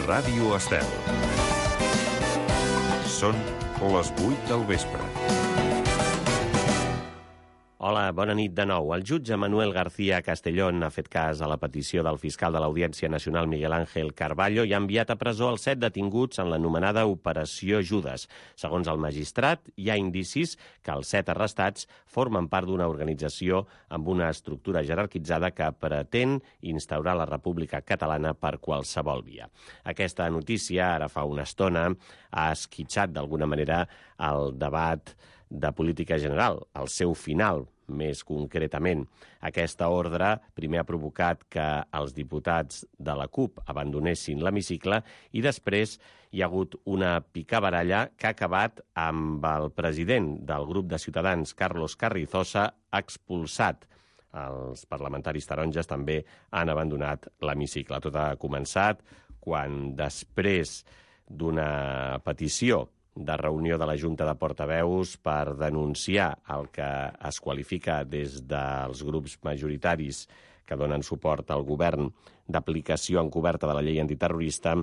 Ràdio Estel. Són les 8 del vespre. Hola, bona nit de nou. El jutge Manuel García Castellón ha fet cas a la petició del fiscal de l'Audiència Nacional Miguel Ángel Carballo i ha enviat a presó els 7 detinguts en l'anomenada Operació Judes. Segons el magistrat, hi ha indicis que els 7 arrestats formen part d'una organització amb una estructura jerarquitzada que pretén instaurar la República Catalana per qualsevol via. Aquesta notícia, ara fa una estona, ha esquitxat d'alguna manera el debat de política general, al seu final, més concretament. Aquesta ordre primer ha provocat que els diputats de la CUP abandonessin l'hemicicle i després hi ha hagut una picabaralla que ha acabat amb el president del grup de Ciutadans, Carlos Carrizosa, expulsat. Els parlamentaris taronges també han abandonat l'hemicicle. Tot ha començat quan, després d'una petició de reunió de la Junta de Portaveus per denunciar el que es qualifica des dels grups majoritaris que donen suport al govern d'aplicació encoberta de la llei antiterrorista,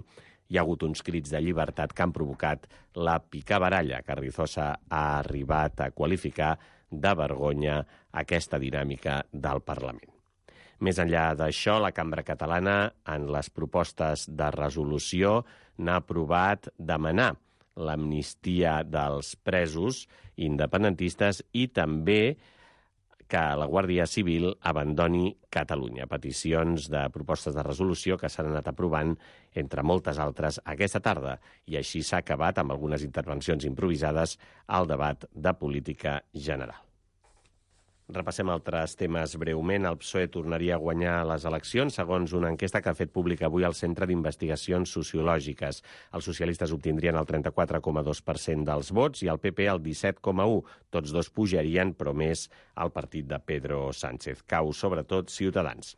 hi ha hagut uns crits de llibertat que han provocat la picabaralla. Carrizosa ha arribat a qualificar de vergonya aquesta dinàmica del Parlament. Més enllà d'això, la Cambra Catalana, en les propostes de resolució, n'ha aprovat demanar l'amnistia dels presos independentistes i també que la Guàrdia Civil abandoni Catalunya. Peticions de propostes de resolució que s'han anat aprovant, entre moltes altres, aquesta tarda. I així s'ha acabat, amb algunes intervencions improvisades, el debat de política general. Repassem altres temes breument. El PSOE tornaria a guanyar les eleccions, segons una enquesta que ha fet pública avui el Centre d'Investigacions Sociològiques. Els socialistes obtindrien el 34,2% dels vots i el PP el 17,1%. Tots dos pujarien, però més al partit de Pedro Sánchez. Cau, sobretot, Ciutadans.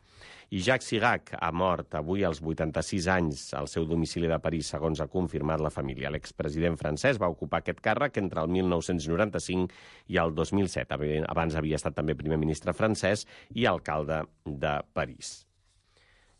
I Jacques Chirac ha mort avui als 86 anys al seu domicili de París, segons ha confirmat la família. L'expresident francès va ocupar aquest càrrec entre el 1995 i el 2007. Abans havia estat també primer ministre francès i alcalde de París.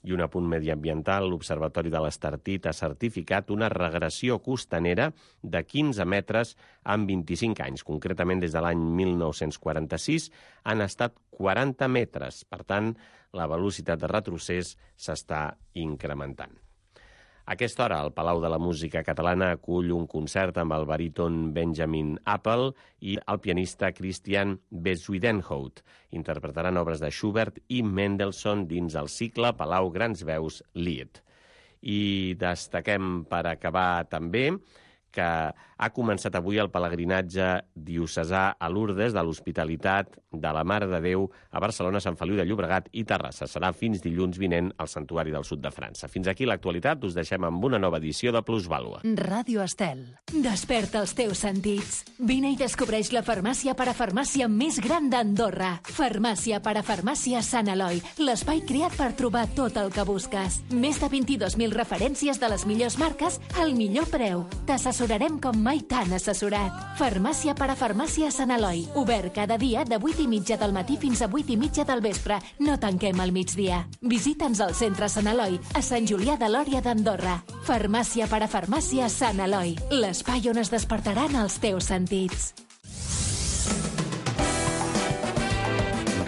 I un apunt mediambiental, l'Observatori de l'Estartit ha certificat una regressió costanera de 15 metres en 25 anys. Concretament, des de l'any 1946 han estat 40 metres. Per tant, la velocitat de retrocés s'està incrementant. A aquesta hora, el Palau de la Música Catalana acull un concert amb el baríton Benjamin Appel i el pianista Christian Bezuidenhout. Interpretaran obres de Schubert i Mendelssohn dins el cicle Palau Grans Veus Lied. I destaquem, per acabar també, que ha començat avui el pelegrinatge diocesà a Lourdes de l'Hospitalitat de la Mare de Déu a Barcelona, Sant Feliu de Llobregat i Terrassa. Serà fins dilluns vinent al Santuari del Sud de França. Fins aquí l'actualitat. Us deixem amb una nova edició de Plusvàlua. Ràdio Estel. Desperta els teus sentits. Vine i descobreix la farmàcia parafarmàcia més gran d'Andorra. Farmàcia parafarmàcia Sant Eloi. L'espai creat per trobar tot el que busques. Més de 22.000 referències de les millors marques al millor preu. T'assessorarem com mai t'han assessorat. Farmàcia parafarmàcia Sant Eloi. Obert cada dia de 8:30 del matí fins a 8:30 del vespre. No tanquem al migdia. Visita'ns al centre Sant Eloi, a Sant Julià de Lòria d'Andorra. Farmàcia parafarmàcia Sant Eloi. L'espai on es despertaran els teus sentits.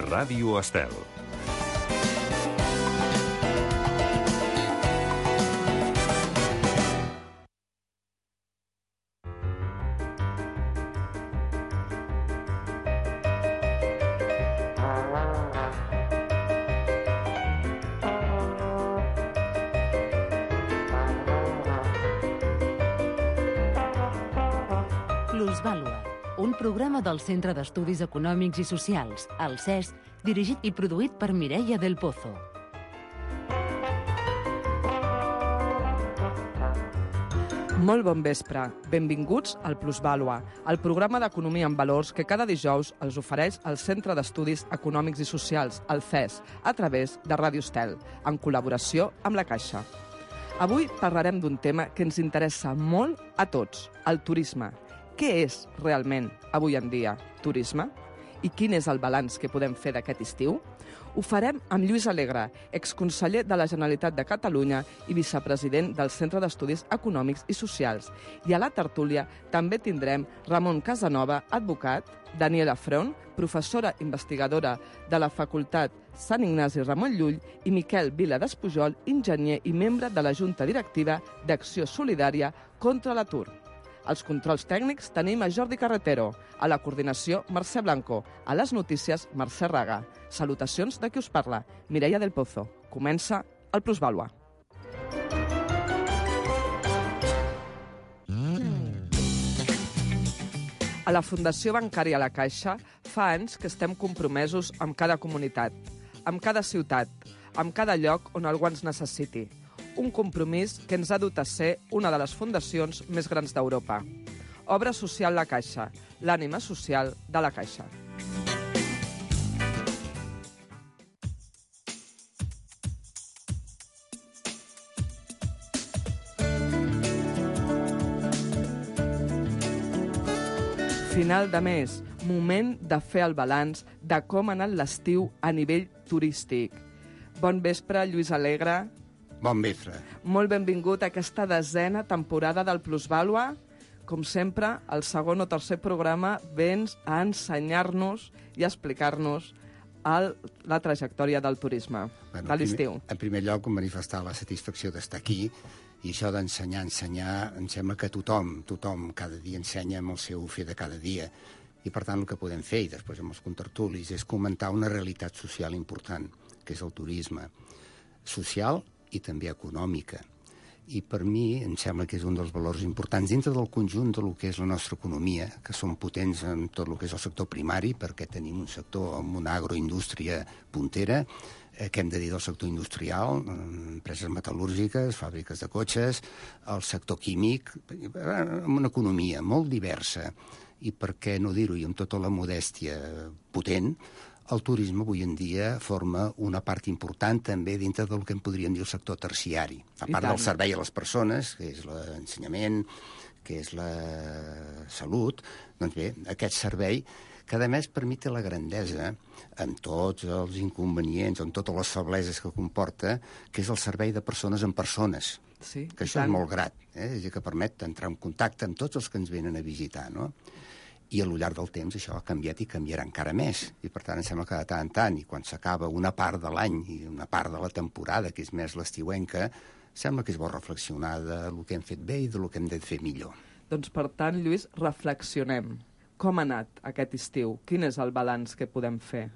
Ràdio Estel. Plusvàlua, un programa del Centre d'Estudis Econòmics i Socials, el CES, dirigit i produït per Mireia del Pozo. Molt bon vespre. Benvinguts al Plusvàlua, el programa d'economia en valors que cada dijous els ofereix el Centre d'Estudis Econòmics i Socials, el CES, a través de Ràdio Estel, en col·laboració amb la Caixa. Avui parlarem d'un tema que ens interessa molt a tots, el turisme. Què és realment, avui en dia, turisme? I quin és el balanç que podem fer d'aquest estiu? Ho farem amb Lluís Alegre, exconseller de la Generalitat de Catalunya i vicepresident del Centre d'Estudis Econòmics i Socials. I a la tertúlia també tindrem Ramon Casanova, advocat, Daniela Front, professora investigadora de la Facultat Sant Ignasi Ramon Llull, i Miquel Vila Despujol, enginyer i membre de la Junta Directiva d'Acció Solidària contra l'Atur. Als controls tècnics tenim a Jordi Carretero, a la coordinació Mercè Blanco, a les notícies Mercè Raga. Salutacions de qui us parla, Mireia del Pozo. Comença el Plusvàlua. A la Fundació Bancària La Caixa fa anys que estem compromesos amb cada comunitat, amb cada ciutat, amb cada lloc on algú ens necessiti. Un compromís que ens ha dut a ser una de les fundacions més grans d'Europa. Obra Social La Caixa, l'ànima social de la Caixa. Final de mes, moment de fer el balanç de com ha anat l'estiu a nivell turístic. Bon vespre, Lluís Alegre. Bon vespre. Molt benvingut a aquesta 10a temporada del Plusvàlua. Com sempre, al segon o tercer programa vens a ensenyar-nos i a explicar-nos la trajectòria del turisme, de l'estiu. En primer lloc, manifestar la satisfacció d'estar aquí, i això d'ensenyar, em sembla que tothom cada dia ensenya amb el seu fer de cada dia. I per tant el que podem fer, i després amb els contertulis, és comentar una realitat social important, que és el turisme. Social i també econòmica. I per mi em sembla que és un dels valors importants dintre del conjunt del que és la nostra economia, que som potents en tot el que és el sector primari, perquè tenim un sector amb una agroindústria puntera, què hem de dir del sector industrial, empreses metal·lúrgiques, fàbriques de cotxes, el sector químic, amb una economia molt diversa, i per què no dir-ho, i amb tota la modèstia potent, el turisme avui en dia forma una part important també dintre del que en podríem dir el sector terciari. A part del servei a les persones, que és l'ensenyament, que és la salut, doncs bé, aquest servei que a més permet la grandesa, amb tots els inconvenients, amb totes les febleses que comporta, que és el servei de persones en persones. Sí, que això és molt grat, és a dir, que permet entrar en contacte amb tots els que ens venen a visitar, no? I a lo llarg del temps això ha canviat i canviarà encara més. I per tant em sembla que de tant en tant, i quan s'acaba una part de l'any i una part de la temporada, que és més l'estiuenca, sembla que és bo reflexionar del que hem fet bé i del que hem de fer millor. Doncs per tant, Lluís, reflexionem. Com ha anat aquest estiu? Quin és el balanç que podem fer?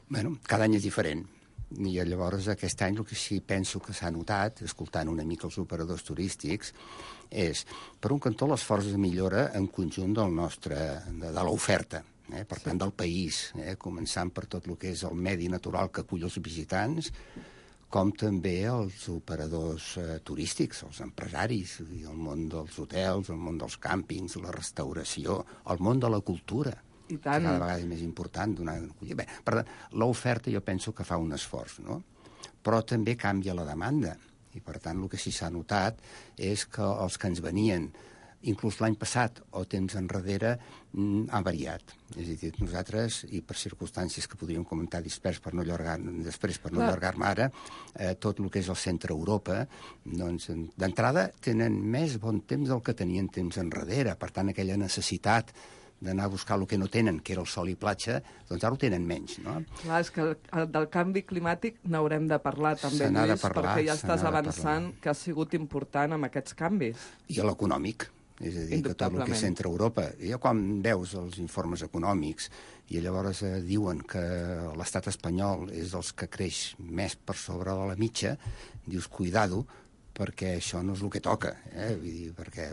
Bueno, cada any és diferent. I llavors aquest any el que sí penso que s'ha notat, escoltant una mica els operadors turístics, és, per un cantó, l'esforç de millora en conjunt del nostre, de l'oferta, per tant, del país, començant per tot el que és el medi natural que acull els visitants, com també els operadors turístics, els empresaris, el món dels hotels, el món dels càmpings, la restauració, el món de la cultura, I tant. cada vegada és més important donar acollida. Bé, per tant, l'oferta jo penso que fa un esforç, no? Però també canvia la demanda, i per tant el que sí s'ha notat és que els que ens venien, inclús l'any passat o temps enrere, han variat. És a dir, nosaltres, i per circumstàncies que podríem comentar després per no allargar-me ara, tot el que és el centre Europa, doncs, d'entrada tenen més bon temps del que tenien temps enrere. Per tant, aquella necessitat d'anar a buscar el que no tenen, que era el sol i platja, doncs ara ho tenen menys, no? Clar, és que del canvi climàtic n'haurem de parlar també, Lluís, perquè ja estàs avançant que ha sigut important amb aquests canvis. I a l'econòmic, és a dir, que tot el que és centre Europa. I ja quan veus els informes econòmics i llavors diuen que l'estat espanyol és dels que creix més per sobre de la mitja, dius, cuidado, perquè això no és el que toca, perquè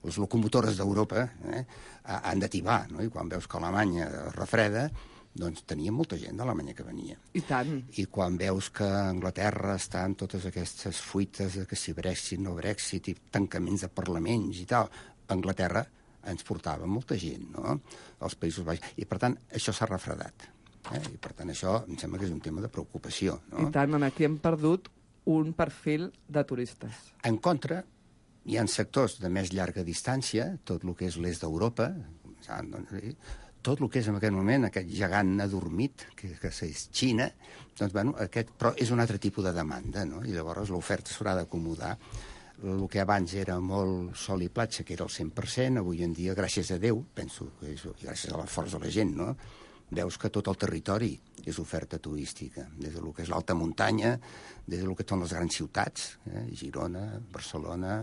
les locomotores d'Europa han de tibar, no? I quan veus que Alemanya refreda, doncs tenia molta gent d'Alemanya que venia. I tant. I quan veus que Anglaterra està amb totes aquestes fuites de que si Brexit, no Brexit, i tancaments de parlaments i tal, Anglaterra ens portava molta gent, no?, als Països Baixos. I, per tant, això s'ha refredat. I, per tant, això em sembla que és un tema de preocupació, no? I tant, aquí hem perdut un perfil de turistes. En contra, hi ha sectors de més llarga distància, tot el que és l'est d'Europa, tot el que és en aquest moment, aquest gegant adormit, que és Xina, doncs, bueno, però és un altre tipus de demanda, no? I llavors l'oferta s'haurà d'acomodar. El que abans era molt sol i platja, que era el 100%, avui en dia, gràcies a Déu, penso, i gràcies a l'esforç de la gent, no?, veus que tot el territori és oferta turística, des del que és l'alta muntanya, des del que són les grans ciutats, Girona, Barcelona,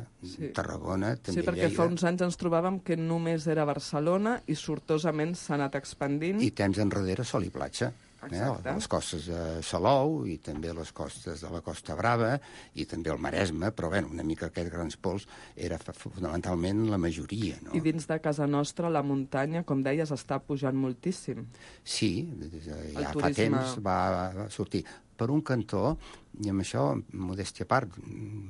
Tarragona, també Lleida. Sí, perquè fa uns anys ens trobàvem que només era Barcelona i sortosament s'ha anat expandint. I temps enrere sol i platja. Les costes de Salou i també les costes de la Costa Brava i també el Maresme, però bé, una mica aquests grans pols era fonamentalment la majoria. No? I dins de casa nostra la muntanya, com deies, està pujant moltíssim. Sí, ja fa temps va sortir. Per un cantó, i amb això, modèstia a part,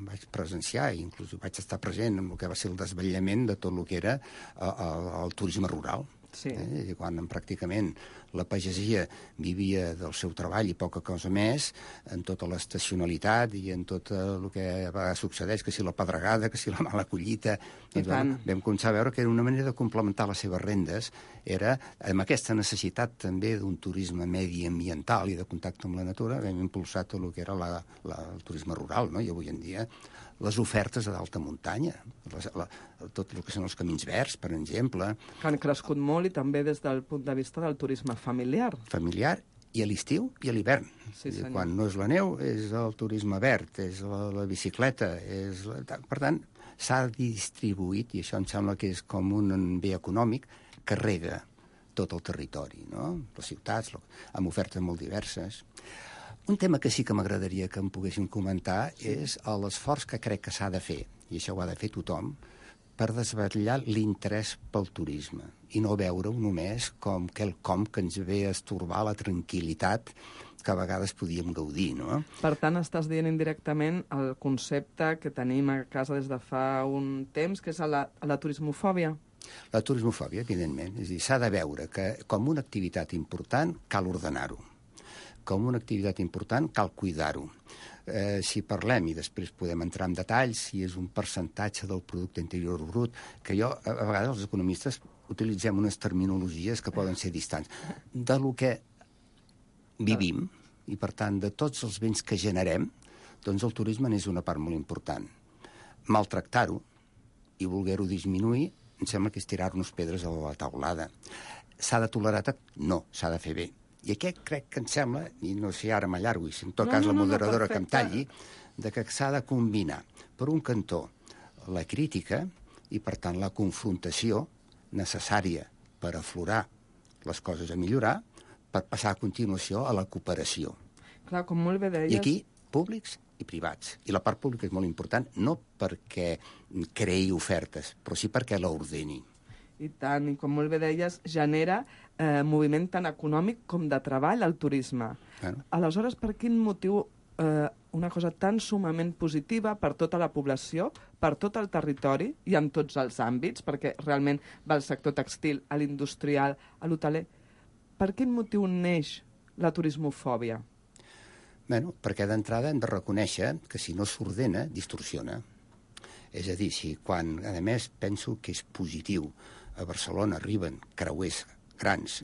vaig presenciar, i inclús vaig estar present en el que va ser el desvetllament de tot el que era el turisme rural. Sí. Quan pràcticament la pagesia vivia del seu treball i poca cosa més, en tota l'estacionalitat i en tot el que succeeix, que si la pedregada, que si la mala collita, doncs, vam començar a veure que era una manera de complementar les seves rendes, era amb aquesta necessitat també d'un turisme mediambiental i de contacte amb la natura, vam impulsar tot el que era el turisme rural, no? I avui en dia les ofertes d'alta muntanya, tot el que són els camins verds, per exemple. Que han crescut molt i també des del punt de vista del turisme familiar. Familiar i a l'estiu i a l'hivern. Sí, quan no és la neu, és el turisme verd, és la bicicleta. Per tant, s'ha distribuït, i això em sembla que és com un bé econòmic, que rega tot el territori, no? Les ciutats, amb ofertes molt diverses. Un tema que sí que m'agradaria que em poguéssim comentar és l'esforç que crec que s'ha de fer, i això ho ha de fer tothom, per desvetllar l'interès pel turisme i no veure-ho només com quelcom que ens ve a estorbar la tranquil·litat que a vegades podíem gaudir, no? Per tant, estàs dient indirectament el concepte que tenim a casa des de fa un temps, que és la turismofòbia. La turismofòbia, evidentment. És a dir, s'ha de veure que com una activitat important cal ordenar-ho. Com una activitat important cal cuidar-ho. Si parlem, i després podem entrar en detalls, si és un percentatge del producte interior brut, que a vegades els economistes utilitzem unes terminologies que poden ser distants, de lo que vivim, i per tant de tots els béns que generem, doncs el turisme n'és una part molt important. Maltractar-ho i voler-ho disminuir, em sembla que és tirar-nos pedres a la taulada. S'ha de tolerar? No, s'ha de fer bé. I aquest crec que em sembla, i no sé, ara m'allargo, i si en tot cas la moderadora que em talli, de que s'ha de combinar, per un cantó, la crítica i, per tant, la confrontació necessària per aflorar les coses a millorar, per passar a continuació a la cooperació. Clar, com molt bé deies... I aquí, públics i privats. I la part pública és molt important, no perquè creï ofertes, però sí perquè l'ordeni. I tant, i com molt bé deies, genera moviment tant econòmic com de treball al turisme. Bueno. Aleshores, per quin motiu una cosa tan sumament positiva per tota la població, per tot el territori i en tots els àmbits, perquè realment va al sector textil, a l'industrial, a l'hoteler, per quin motiu neix la turismofòbia? Bueno, perquè d'entrada hem de reconèixer que si no s'ordena, distorsiona. És a dir, si quan, a més, penso que és positiu, a Barcelona arriben creuers grans,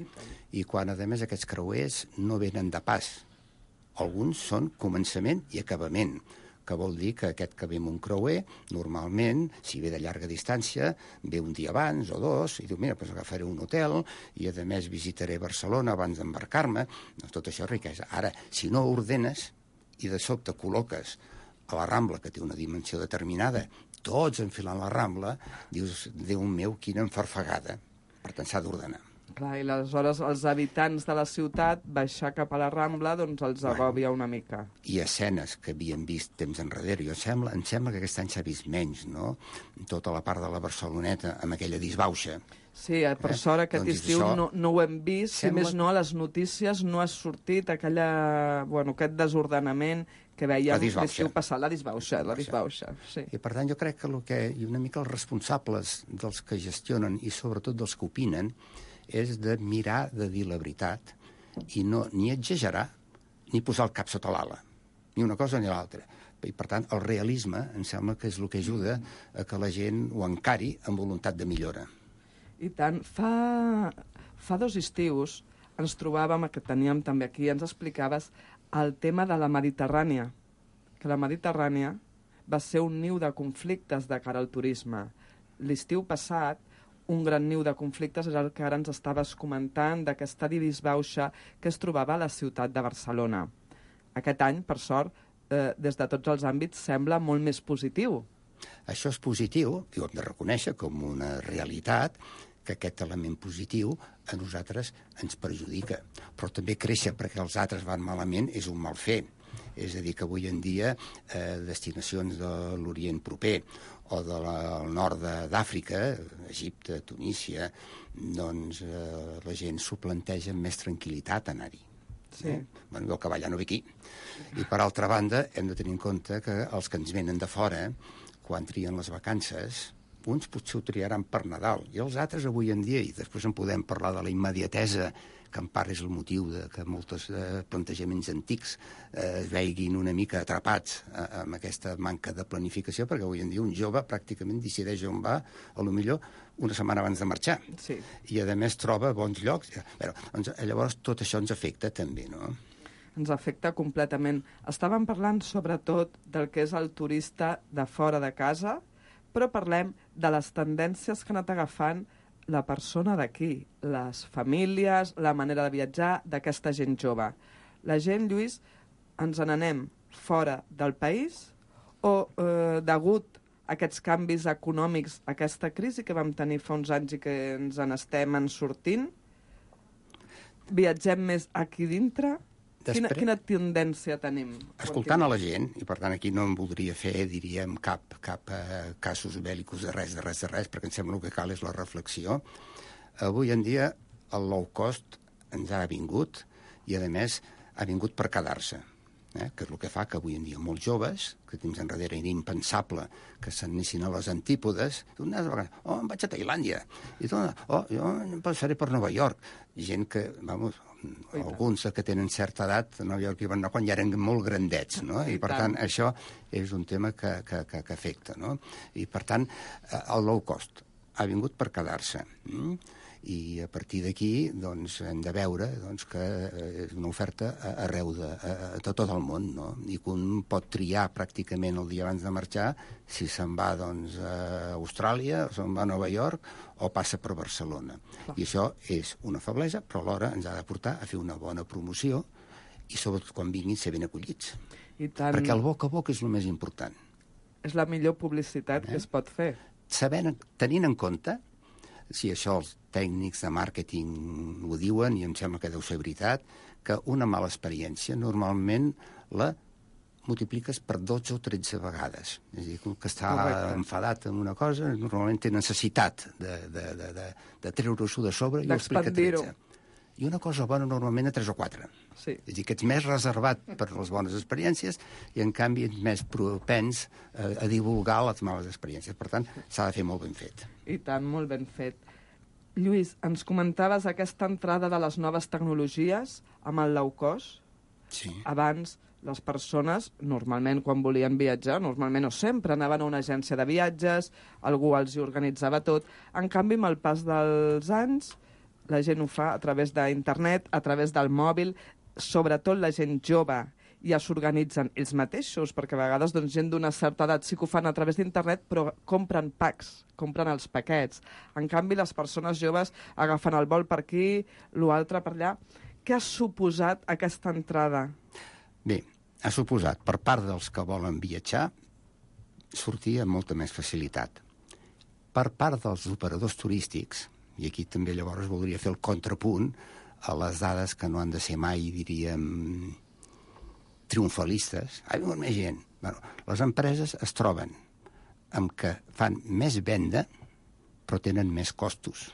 i quan, a més, aquests creuers no venen de pas. Alguns són començament i acabament, que vol dir que aquest que ve amb un creuer, normalment, si ve de llarga distància, ve un dia abans o dos, i diu, mira, doncs agafaré un hotel, i a més visitaré Barcelona abans d'embarcar-me, doncs tot això és riquesa. Ara, si no ordenes i de sobte col·loques a la Rambla, que té una dimensió determinada, tots enfilant la Rambla, dius, Déu meu, quina enfarfegada. Per tant, s'ha d'ordenar. Clar, i aleshores els habitants de la ciutat baixar cap a la Rambla doncs els agòbia una mica. I escenes que havíem vist temps enrere. Em sembla que aquest any s'ha vist menys, no? Tota la part de la Barceloneta, amb aquella disbauxa. Sí, per sort aquest estiu no ho hem vist, si més no a les notícies no ha sortit aquest desordenament que veiem l'estiu passat, la disbauxa, sí. I per tant jo crec que una mica els responsables dels que gestionen i sobretot dels que opinen és de mirar de dir la veritat i no ni exagerar ni posar el cap sota l'ala, ni una cosa ni l'altra. I per tant el realisme em sembla que és el que ajuda a que la gent ho encari amb voluntat de millora. I tant, fa Fa 2 estius ens trobàvem, que teníem també aquí, ens explicaves el tema de la Mediterrània, que la Mediterrània va ser un niu de conflictes de cara al turisme. L'estiu passat, un gran niu de conflictes és el que ara ens estaves comentant d'aquesta disbauxa que es trobava a la ciutat de Barcelona. Aquest any, per sort, des de tots els àmbits, sembla molt més positiu. Això és positiu, i ho hem de reconèixer com una realitat, que aquest element positiu a nosaltres ens perjudica. Però també créixer perquè els altres van malament és un mal fer. És a dir, que avui en dia destinacions de l'Orient proper o del nord d'Àfrica, Egipte, Tunísia, doncs la gent s'ho planteja amb més tranquil·litat anar-hi. Sí. Bueno, el cavall ja no ve aquí. I per altra banda, hem de tenir en compte que els que ens venen de fora, quan trien les vacances, uns potser ho triaran per Nadal, i els altres avui en dia, i després en podem parlar de la immediatesa, que en part és el motiu de que molts plantejaments antics es veiguin una mica atrapats amb aquesta manca de planificació, perquè avui en dia un jove pràcticament decideix on va, a lo millor una setmana abans de marxar. Sí. I a més troba bons llocs. Però, doncs, llavors tot això ens afecta també, no? Ens afecta completament. Estàvem parlant sobretot del que és el turista de fora de casa, però parlem de les tendències que ha anat agafant la persona d'aquí, les famílies, la manera de viatjar d'aquesta gent jove. La gent, Lluís, ens n'anem fora del país o, degut a aquests canvis econòmics, aquesta crisi que vam tenir fa uns anys i que ens en sortint, viatgem més aquí dintre? Quina tendència tenim? Escoltant a la gent, i per tant aquí no em voldria fer, diríem, cap casos bèl·licos de res, perquè em sembla que cal és la reflexió. Avui en dia el low cost ens ha vingut i, a més, ha vingut per quedar-se, que és el que fa que avui en dia molts joves, que temps enrere era impensable que s'anessin a les antípodes, em vaig a Tailàndia, i jo em passaré per Nova York. Gent que, alguns que tenen certa edat a Nova York i van anar quan ja eren molt grandets, no? I per tant això és un tema que afecta, no? I per tant el low cost ha vingut per quedar-se. I a partir d'aquí doncs, hem de veure doncs, que és una oferta arreu de tot el món, no? I que un pot triar pràcticament el dia abans de marxar si se'n va doncs, a Austràlia, o se'n va a Nova York o passa per Barcelona. I això és una feblesa, però alhora ens ha de portar a fer una bona promoció i sobretot quan vinguin ser ben acollits. Perquè el boca a boca és el més important. És la millor publicitat que es pot fer. Tenint en compte, si això els tècnics de màrqueting ho diuen, i em sembla que deu ser veritat, que una mala experiència normalment la multipliques per 12 o 13 vegades. És a dir, que està enfadat amb una cosa, normalment té necessitat de treure-s'ho de sobre i ho explica 13. I una cosa bona normalment a 3 o 4. Sí. És a dir, que ets més reservat per les bones experiències i, en canvi, ets més propens a divulgar les males experiències. Per tant, s'ha de fer molt ben fet. I tant, molt ben fet. Lluís, ens comentaves aquesta entrada de les noves tecnologies amb el low cost. Sí. Abans, les persones, normalment, quan volien viatjar, normalment o sempre anaven a una agència de viatges, algú els hi organitzava tot. En canvi, amb el pas dels anys, la gent ho fa a través d'internet, a través del mòbil, sobretot la gent jove, ja s'organitzen ells mateixos, perquè a vegades doncs, gent d'una certa edat sí que ho fan a través d'internet, però compren packs, compren els paquets. En canvi, les persones joves agafen el vol per aquí, l'altre per allà. Què ha suposat aquesta entrada? Bé, ha suposat, per part dels que volen viatjar, sortir amb molta més facilitat. Per part dels operadors turístics, i aquí també llavors voldria fer el contrapunt a les dades que no han de ser mai, diríem, triomfalistes. Ha vingut més gent. Bueno, les empreses es troben amb que fan més venda, però tenen més costos.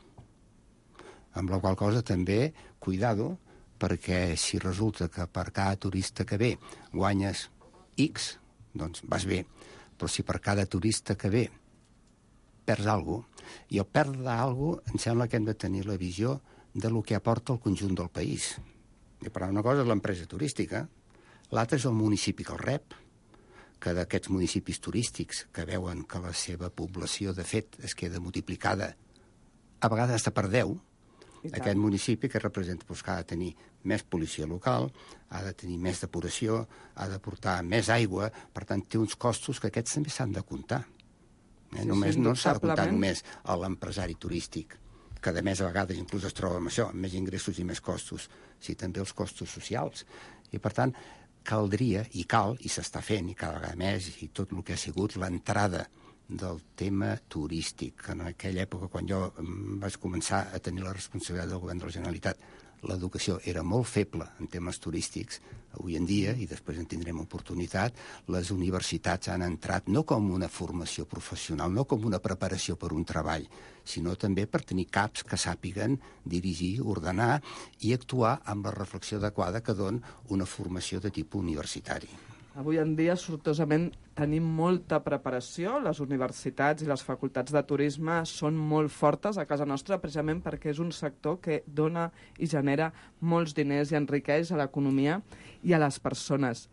Amb la qual cosa també, cuidado, perquè si resulta que per cada turista que ve guanyes X, doncs vas bé. Però si per cada turista que ve perds alguna cosa, i al perdre alguna cosa em sembla que hem de tenir la visió de lo que aporta el conjunt del país. I per una cosa és l'empresa turística, l'altre és el municipi que el rep, que d'aquests municipis turístics que veuen que la seva població, de fet, es queda multiplicada, a vegades està per 10, Aquest municipi que representa que ha de tenir més policia local, ha de tenir més depuració, ha de portar més aigua, per tant té uns costos que aquests també s'han de comptar. Només no s'ha de comptar només a l'empresari turístic, que a més a vegades inclús es troba amb això, amb més ingressos i més costos, sinó també els costos socials. I per tant caldria, i cal, i s'està fent, i cada vegada més, i tot el que ha sigut l'entrada del tema turístic. En aquella època, quan jo vaig començar a tenir la responsabilitat del govern de la Generalitat, l'educació era molt feble en temes turístics. Avui en dia, i després en tindrem oportunitat, les universitats han entrat no com una formació professional, no com una preparació per un treball, sinó també per tenir caps que sàpiguen dirigir, ordenar i actuar amb la reflexió adequada que dona una formació de tipus universitari. Avui en dia, sortosament, tenim molta preparació. Les universitats i les facultats de turisme són molt fortes a casa nostra, precisament perquè és un sector que dona i genera molts diners i enriqueix a l'economia i a les persones.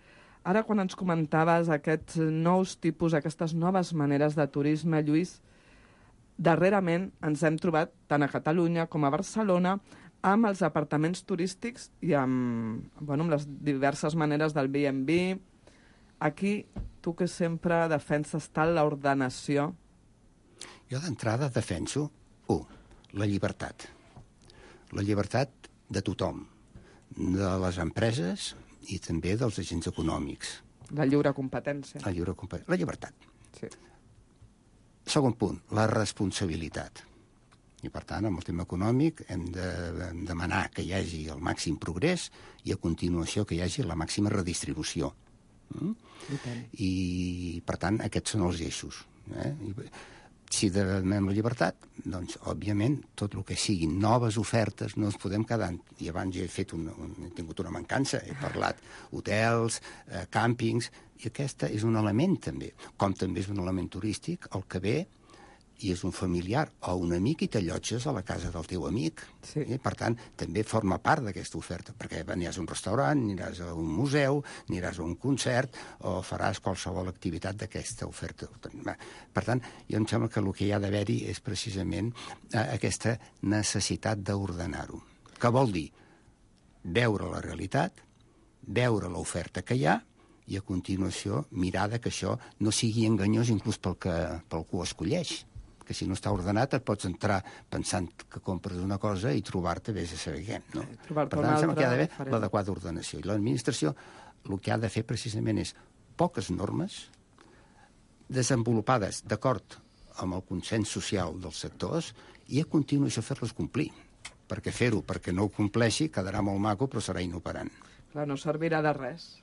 Ara, quan ens comentaves aquests nous tipus, aquestes noves maneres de turisme, Lluís, darrerament ens hem trobat, tant a Catalunya com a Barcelona, amb els apartaments turístics i amb les diverses maneres del B&B. Aquí, tu que sempre defenses tant l'ordenació. Jo d'entrada defenso, la llibertat. La llibertat de tothom, de les empreses i també dels agents econòmics. La lliure competència. La llibertat. Sí. Segon punt, la responsabilitat. I, per tant, amb el tema econòmic hem de demanar que hi hagi el màxim progrés i, a continuació, que hi hagi la màxima redistribució. I, per tant, aquests són els eixos. Si demanem la llibertat, doncs, òbviament, tot el que siguin noves ofertes no ens podem quedar. I abans he tingut una mancança, he parlat hotels, càmpings, i aquest és un element també, com també és un element turístic, el que ve i és un familiar o un amic i t'allotges a la casa del teu amic. Sí. Per tant, també forma part d'aquesta oferta, perquè aniràs a un restaurant, aniràs a un museu, aniràs a un concert o faràs qualsevol activitat d'aquesta oferta. Per tant, jo em sembla que el que hi ha d'haver-hi és precisament aquesta necessitat d'ordenar-ho. Què vol dir? Veure la realitat, veure l'oferta que hi ha i, a continuació, mirar que això no sigui enganyós inclús pel que ho escolleix. Que si no està ordenat et pots entrar pensant que compres una cosa i trobar-te vés a saber què. No? Per tant, em sembla que hi ha d'haver l'adequada ordenació. I l'administració el que ha de fer precisament és poques normes desenvolupades d'acord amb el consens social dels sectors i a continuació fer-les complir. Perquè fer-ho perquè no ho compleixi quedarà molt maco però serà inoperant. Clar, no servirà de res.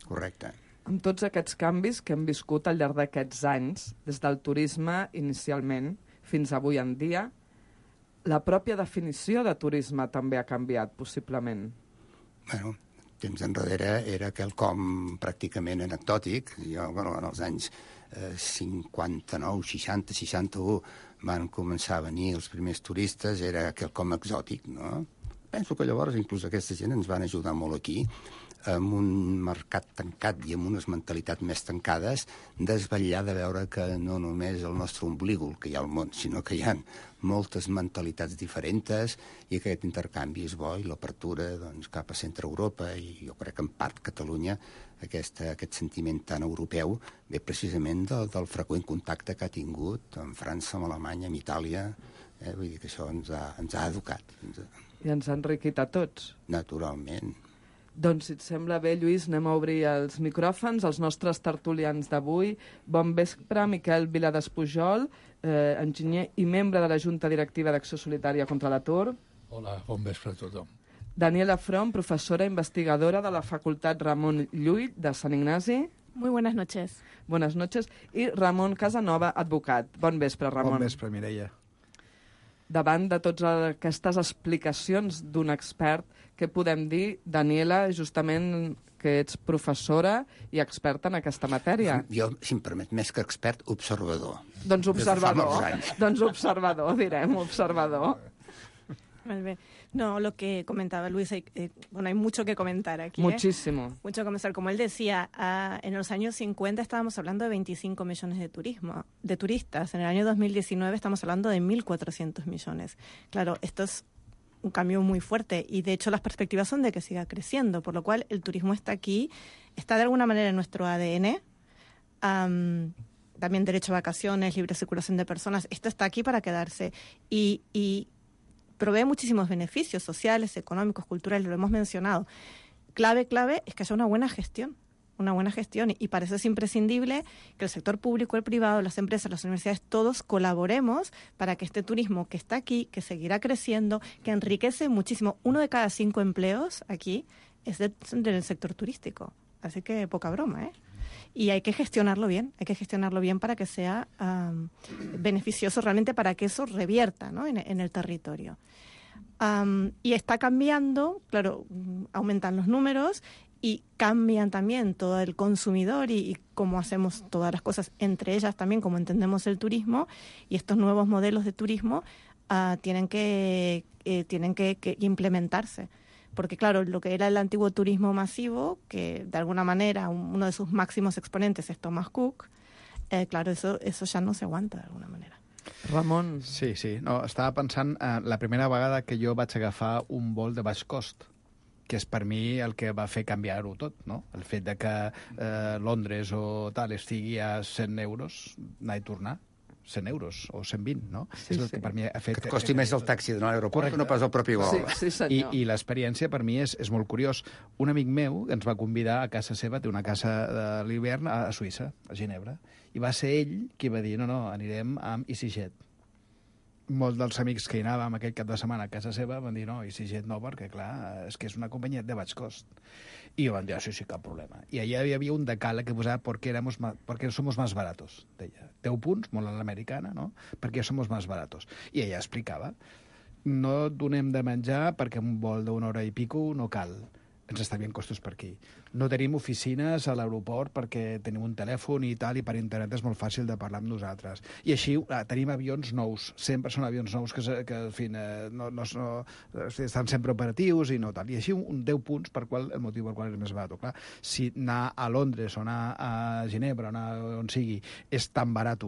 Correcte. Amb tots aquests canvis que hem viscut al llarg d'aquests anys, des del turisme inicialment fins avui en dia, la pròpia definició de turisme també ha canviat, possiblement. Bueno, temps enrere era quelcom pràcticament anecdòtic. Jo, en els anys 59, 60, 61 van començar a venir els primers turistes, era quelcom exòtic, no? Penso que llavors inclús aquesta gent ens van ajudar molt aquí, amb un mercat tancat i amb unes mentalitats més tancades, desvetllar de veure que no només el nostre omblígol que hi ha al món, sinó que hi ha moltes mentalitats diferents i que aquest intercanvi és bo i l'apertura cap a centre Europa i jo crec que en part Catalunya aquest sentiment tan europeu ve precisament del freqüent contacte que ha tingut amb França, amb Alemanya, amb Itàlia. Vull dir que això ens ha educat. I ens ha enriquit a tots. Naturalment. Doncs, si et sembla bé, Lluís, anem a obrir els micròfons, els nostres tertulians d'avui. Bon vespre, Miquel Viladespujol, enginyer i membre de la Junta Directiva d'Acció Solidària contra l'Atur. Hola, bon vespre a tothom. Daniela From, professora investigadora de la Facultat Ramon Llull de Sant Ignasi. Muy buenas noches. Buenas noches. I Ramon Casanova, advocat. Bon vespre, Ramon. Bon vespre, Mireia. Davant de totes aquestes explicacions d'un expert, què podem dir, Daniela, justament que ets professora i experta en aquesta matèria? Jo, si em permet, més que expert, observador. Doncs observador, direm, observador. Molt bé. No, lo que comentaba Luis, hay mucho que comentar aquí. Muchísimo. Mucho que comenzar. Como él decía, en los años 50 estábamos hablando de 25 millones de turistas. En el año 2019 estamos hablando de 1.400 millones. Claro, esto es un cambio muy fuerte y de hecho las perspectivas son de que siga creciendo, por lo cual el turismo está aquí, está de alguna manera en nuestro ADN. También derecho a vacaciones, libre circulación de personas, esto está aquí para quedarse y provee muchísimos beneficios sociales, económicos, culturales, lo hemos mencionado. Clave es que haya una buena gestión y para eso es imprescindible que el sector público, el privado, las empresas, las universidades, todos colaboremos para que este turismo que está aquí, que seguirá creciendo, que enriquece muchísimo, 1 de cada 5 empleos aquí es del sector turístico, así que poca broma, ¿eh? Y hay que gestionarlo bien para que sea beneficioso realmente, para que eso revierta, ¿no? en el territorio. Y está cambiando, claro, aumentan los números y cambian también todo el consumidor y cómo hacemos todas las cosas, entre ellas también cómo entendemos el turismo, y estos nuevos modelos de turismo tienen que implementarse. Porque claro, lo que era el antiguo turismo masivo, que de alguna manera uno de sus máximos exponentes es Thomas Cook, claro, eso ya no se aguanta de alguna manera. Ramon. Sí. No, estava pensant la primera vegada que jo vaig agafar un vol de baix cost, que és per mi el que va fer canviar-ho tot, no? El fet de que Londres o tal estigui a 100 euros, anar i tornar, 100 euros o 120, no? Sí, és el que per mi ha fet... Que et costi més el taxi d'anar a l'aeroport que no pas el propi vol. Sí, senyor. I l'experiència per mi és molt curiós. Un amic meu ens va convidar a casa seva, té una casa de l'hivern a Suïssa, a Ginebra, i va ser ell qui va dir, no, anirem amb EasyJet. Molts dels amics que hi anàvem aquell cap de setmana a casa seva van dir, no, EasyJet no, perquè clar, és que és una companyia de baix cost. I van dir, sí, cap problema. I allà hi havia un decàleg que posava porque somos más baratos, deia. 10 punts, molt a l'americana, no? Perquè somos más baratos. I ella explicava, no donem de menjar perquè un vol d'una hora i pico no cal. Ens estalviem costos per aquí. No tenim oficines a l'aeroport perquè tenim un telèfon i tal, i per internet és molt fàcil de parlar amb nosaltres. I així tenim avions nous, sempre són avions nous que en fi, estan sempre operatius i no tal. I així un 10 punts el motiu per qual és més barat. Clar, si anar a Londres o anar a Ginebra o anar on sigui és tan barat,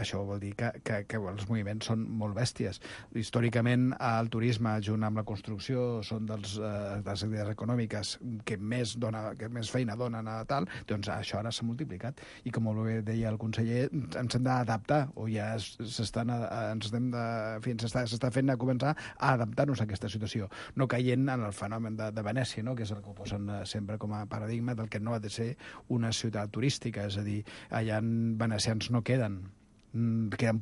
això vol dir que els moviments són molt bèsties. Històricament, el turisme, junt amb la construcció, són de les activitats econòmiques que més feina donen a tal, doncs això ara s'ha multiplicat. I com molt bé deia el conseller, ens hem d'adaptar, o ja s'està fent a començar a adaptar-nos a aquesta situació, no caient en el fenomen de Venècia, no? Que és el que ho posen sempre com a paradigma del que no ha de ser una ciutat turística, és a dir, allà venecians no queden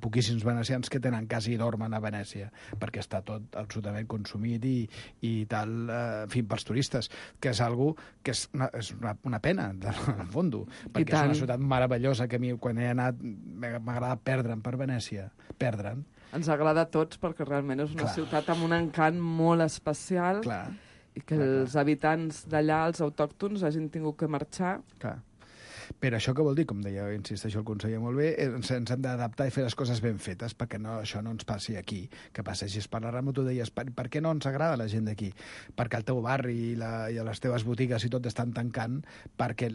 poquíssims venecians que tenen casa i dormen a Venècia, perquè està tot absolutament consumit i tal, en fi, pels turistes, que és algo que és una pena, en el fons, perquè és una ciutat meravellosa que a mi, quan he anat, m'agrada perdre'm per Venècia, perdre'm. Ens agrada a tots perquè realment és una ciutat amb un encant molt especial i que els habitants d'allà, els autòctons, hagin tingut que marxar. Clar. Però això què vol dir? Com deia, insisteixo el conseller molt bé, ens hem d'adaptar i fer les coses ben fetes perquè això no ens passi aquí, que passegis per la Rambla, tu deies, per què no ens agrada la gent d'aquí? Perquè el teu barri i les teves botigues i tot estan tancant, perquè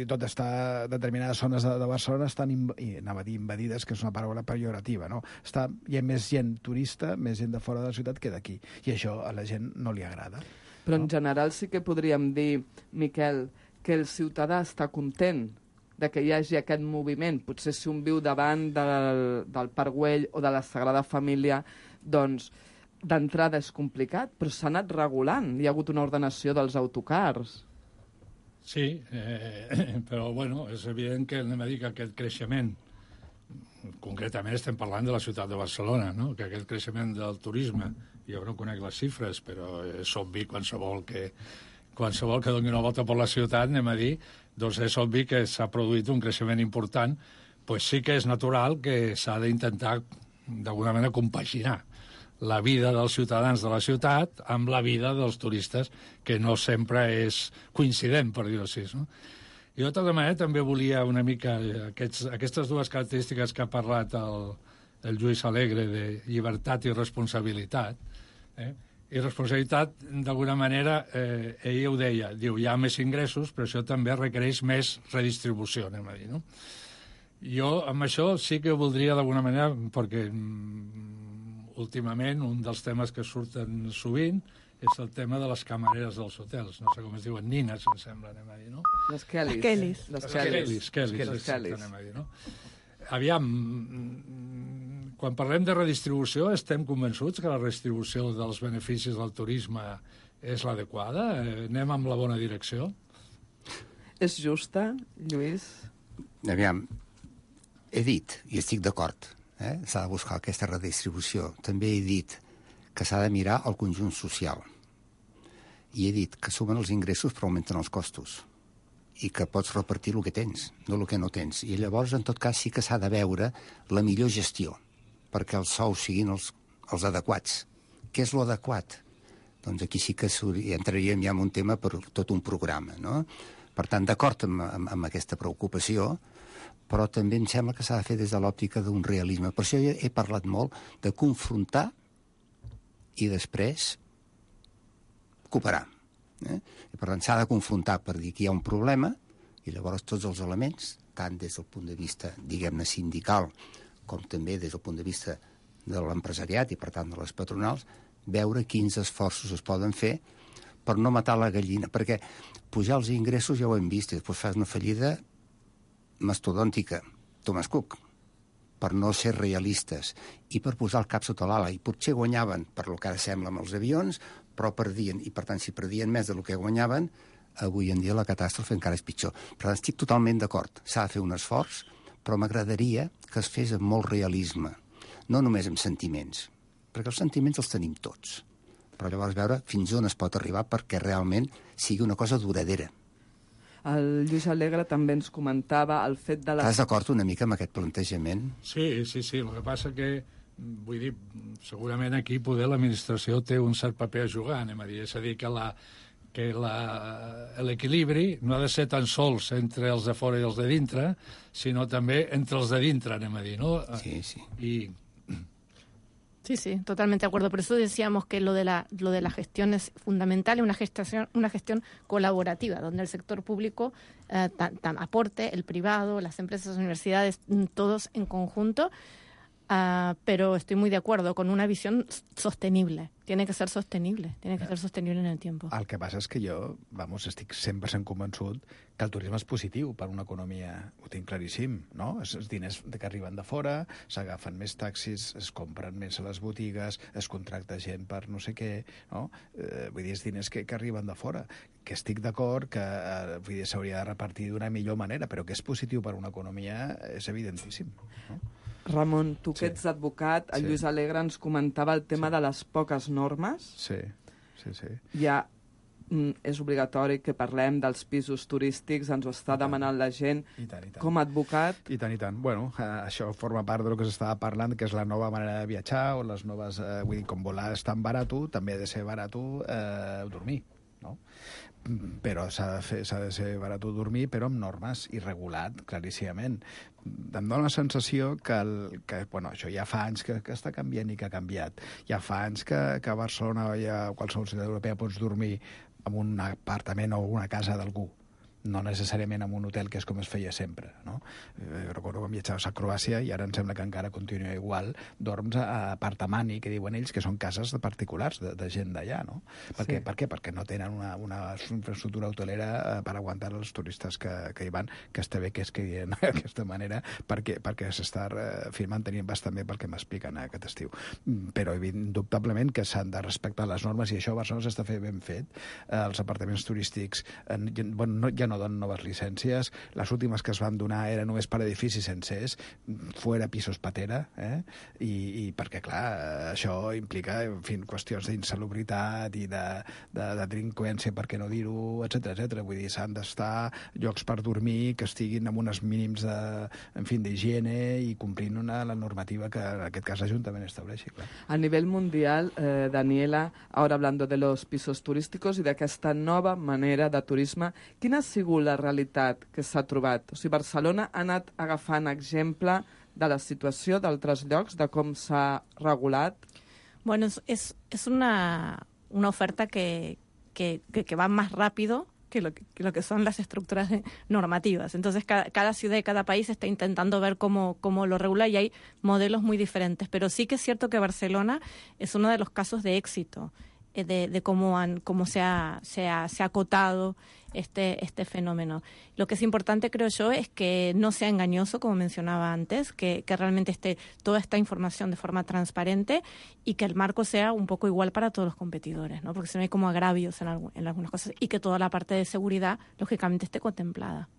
tot està, determinades zones de Barcelona estan, anava a dir invadides, que és una paraula pejorativa, no? Hi ha més gent turista, més gent de fora de la ciutat que d'aquí, i això a la gent no li agrada. Però en general sí que podríem dir, Miquel, que el ciutadà està content de que hi hagi aquest moviment. Potser si un viu davant del Parc Güell o de la Sagrada Família, doncs d'entrada és complicat, però s'ha anat regulant. Hi ha hagut una ordenació dels autocars. Sí, però bueno, és evident que anem a dir que aquest creixement, concretament estem parlant de la ciutat de Barcelona, no? Que aquest creixement del turisme, jo no conec les xifres, però és obvi qualsevol que doni una volta per la ciutat, anem a dir, doncs és obvi que s'ha produït un creixement important, doncs sí que és natural que s'ha d'intentar, d'alguna manera, compaginar la vida dels ciutadans de la ciutat amb la vida dels turistes, que no sempre és coincident, per dir-ho així, no? I de tota manera també volia una mica aquestes dues característiques que ha parlat el Lluís Alegre de llibertat i responsabilitat, i responsabilitat, d'alguna manera, ell ho deia, diu, hi ha més ingressos, però això també requereix més redistribució, anem a dir, no? Jo, amb això, sí que voldria, d'alguna manera, perquè últimament, un dels temes que surten sovint és el tema de les camareres dels hotels. No sé com es diuen, nines, em sembla, anem a dir, no? Les Kellys. Kellys, anem a dir, no? Aviam, quan parlem de redistribució, estem convençuts que la redistribució dels beneficis del turisme és l'adequada? Anem amb la bona direcció? És justa, Lluís? Aviam, he dit, i estic d'acord, s'ha de buscar aquesta redistribució. També he dit que s'ha de mirar el conjunt social. I he dit que sumen els ingressos però augmenten els costos i que pots repartir el que tens, no el que no tens. I llavors, en tot cas, sí que s'ha de veure la millor gestió perquè els sous siguin els adequats. Què és l'adequat? Doncs aquí sí que entraríem ja en un tema per tot un programa, no? Per tant, d'acord amb aquesta preocupació, però també em sembla que s'ha de fer des de l'òptica d'un realisme. Per això he parlat molt de confrontar i després cooperar. I per tant s'ha de confrontar per dir que hi ha un problema i llavors tots els elements, tant des del punt de vista, diguem-ne, sindical, com també des del punt de vista de l'empresariat i per tant de les patronals, veure quins esforços es poden fer per no matar la gallina, perquè pujar els ingressos ja ho hem vist i després fas una fallida mastodòntica, Thomas Cook, per no ser realistes i per posar el cap sota l'ala. I potser guanyaven, per lo que ara sembla amb els avions, però perdien. I per tant, si perdien més del que guanyaven, avui en dia la catàstrofe encara és pitjor. Per tant, estic totalment d'acord. S'ha de fer un esforç, però m'agradaria que es fes amb molt realisme, no només amb sentiments, perquè els sentiments els tenim tots. Però llavors veure fins on es pot arribar perquè realment sigui una cosa duradera. El Lluís Alegre també ens comentava el fet de... Estàs d'acord una mica amb aquest plantejament? Sí. El que passa que, vull dir, segurament aquí poder l'administració té un cert paper a jugar, anem a dir. És a dir, que l'equilibri no ha de ser tan sols entre els de fora i els de dintre, sinó també entre els de dintre, anem a dir, no? Sí. Sí, totalmente de acuerdo. Por eso decíamos que lo de la gestión es fundamental y una gestión colaborativa, donde el sector público aporte, el privado, las empresas, las universidades, todos en conjunto. Pero estoy muy de acuerdo con una visión sostenible. Tiene que ser sostenible en el tiempo. El que passa és que jo, estic 100% convençut que el turisme és positiu per una economia, ho tinc claríssim, no? Els diners que arriben de fora, s'agafen més taxis, es compren més a les botigues, es contracta gent per no sé què, no? Vull dir, els diners que arriben de fora, que estic d'acord que s'hauria de repartir d'una millor manera, però que és positiu per una economia és evidentíssim, no? Ramon, tu que ets advocat, el Lluís Alegre ens comentava el tema de les poques normes. Sí. Ja és obligatori que parlem dels pisos turístics, ens ho està demanant la gent. I tant. Com a advocat... I tant. Bueno, això forma part del que s'estava parlant, que és la nova manera de viatjar, o les noves... vull dir, com volar és tan barat, també ha de ser barat dormir, no? Però s'ha de ser barat dormir, però amb normes i regulat, claríssimament. Em dóna la sensació que això ja fa anys que està canviant i que ha canviat. Ja fa anys que a Barcelona o a qualsevol ciutat europea pots dormir en un apartament o una casa d'algú, no necessàriament en un hotel, que és com es feia sempre, no? Recordo quan viatjaves a Croàcia, i ara em sembla que encara continua igual, dorms a apartamani, que diuen ells, que són cases de particulars, de gent d'allà, no? Per què? Perquè no tenen una infraestructura hotelera per aguantar els turistes que hi van, que està bé que es quedin d'aquesta manera, perquè s'està mantenint bastant bé pel que m'expliquen aquest estiu. Però indubtablement que s'han de respectar les normes, i això a Barcelona s'està fent ben fet. Els apartaments turístics ja no donen noves llicències. Les últimes que es van donar eren només per edificis sencers, fuera pisos patera, i perquè, clar, això implica, en fi, qüestions d'insalubritat i de delinqüència, per què no dir-ho, etc. Vull dir, s'han d'estar llocs per dormir que estiguin amb uns mínims d'higiene i complint la normativa que en aquest cas l'Ajuntament estableixi. Clar. A nivell mundial, Daniela, ahora hablando de los pisos turísticos i d'aquesta nova manera de turisme, quina ha sigut la realitat que s'ha trobat? O sigui, Barcelona ha anat agafant exemple de la situació d'altres llocs, de com s'ha regulat? Bueno, es una oferta que va más rápido que lo que son las estructuras normativas. Entonces, cada ciudad y cada país está intentando ver cómo lo regula y hay modelos muy diferentes. Pero sí que es cierto que Barcelona es uno de los casos de éxito de cómo se ha acotado este fenómeno. Lo que es importante, creo yo, es que no sea engañoso, como mencionaba antes, que realmente esté toda esta información de forma transparente y que el marco sea un poco igual para todos los competidores, ¿no? Porque si no hay como agravios en algunas cosas, y que toda la parte de seguridad, lògicament, esté contemplada.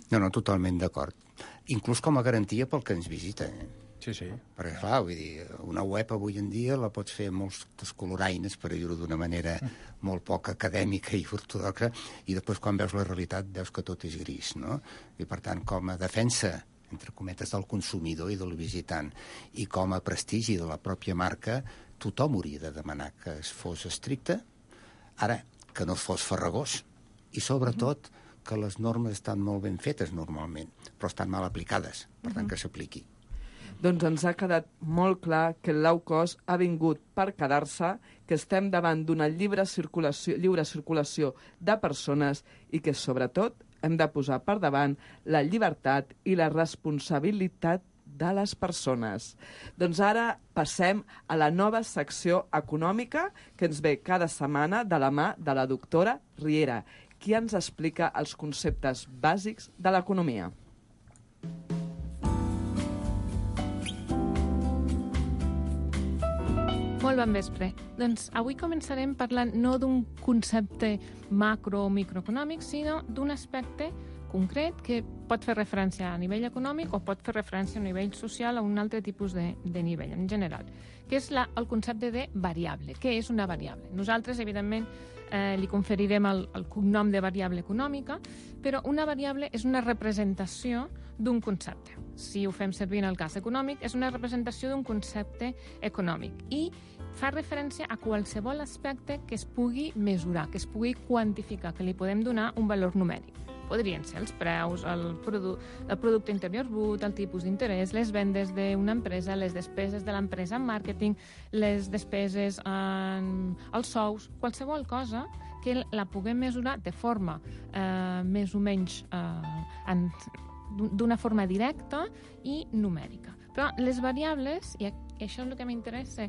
No, totalment d'acord. Inclús com a garantia pel que ens visita. Sí, sí. Perquè, clar, vull dir, una web avui en dia la pots fer amb molts descoloraines, per dir-ho d'una manera molt poc acadèmica i ortodoxa, i després quan veus la realitat veus que tot és gris, no? I per tant, com a defensa, entre cometes, del consumidor i del visitant, i com a prestigi de la pròpia marca, tothom hauria de demanar que es fos estricte, ara, que no fos farragós, i sobretot que les normes estan molt ben fetes normalment, però estan mal aplicades, per tant que s'apliqui. Doncs ens ha quedat molt clar que el low cost ha vingut per quedar-se, que estem davant d'una lliure circulació de persones i que, sobretot, hem de posar per davant la llibertat i la responsabilitat de les persones. Doncs ara passem a la nova secció econòmica que ens ve cada setmana de la mà de la doctora Riera, qui ens explica els conceptes bàsics de l'economia. Molt bon vespre. Doncs avui començarem parlant no d'un concepte macro o microeconòmic, sinó d'un aspecte concret que pot fer referència a nivell econòmic o pot fer referència a nivell social o a un altre tipus de nivell en general, que és el concepte de variable. Què és una variable? Nosaltres, evidentment, li conferirem el cognom de variable econòmica, però una variable és una representació d'un concepte. Si ho fem servir en el cas econòmic, és una representació d'un concepte econòmic i fa referència a qualsevol aspecte que es pugui mesurar, que es pugui quantificar, que li podem donar un valor numèric. Podrien ser els preus, el producte interior brut, el tipus d'interès, les vendes d'una empresa, les despeses de l'empresa en màrqueting, les despeses en els sous, qualsevol cosa que la puguem mesurar de forma més o menys d'una forma directa i numèrica. Però les variables, i això és el que m'interessa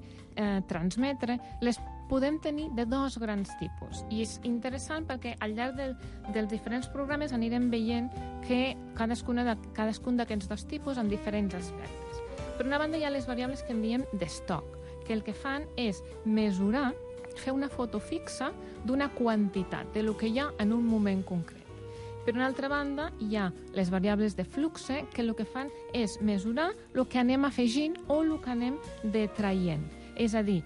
transmetre, les podem tenir de dos grans tipus. I és interessant perquè al llarg dels diferents programes anirem veient que cadascun d'aquests dos tipus en diferents aspectes. Per una banda hi ha les variables que en diem d'estoc, que el que fan és mesurar, fer una foto fixa d'una quantitat, de lo que hi ha en un moment concret. Per una altra banda, hi ha les variables de flux, que el que fan és mesurar el que anem afegint o el que anem detraient. És a dir,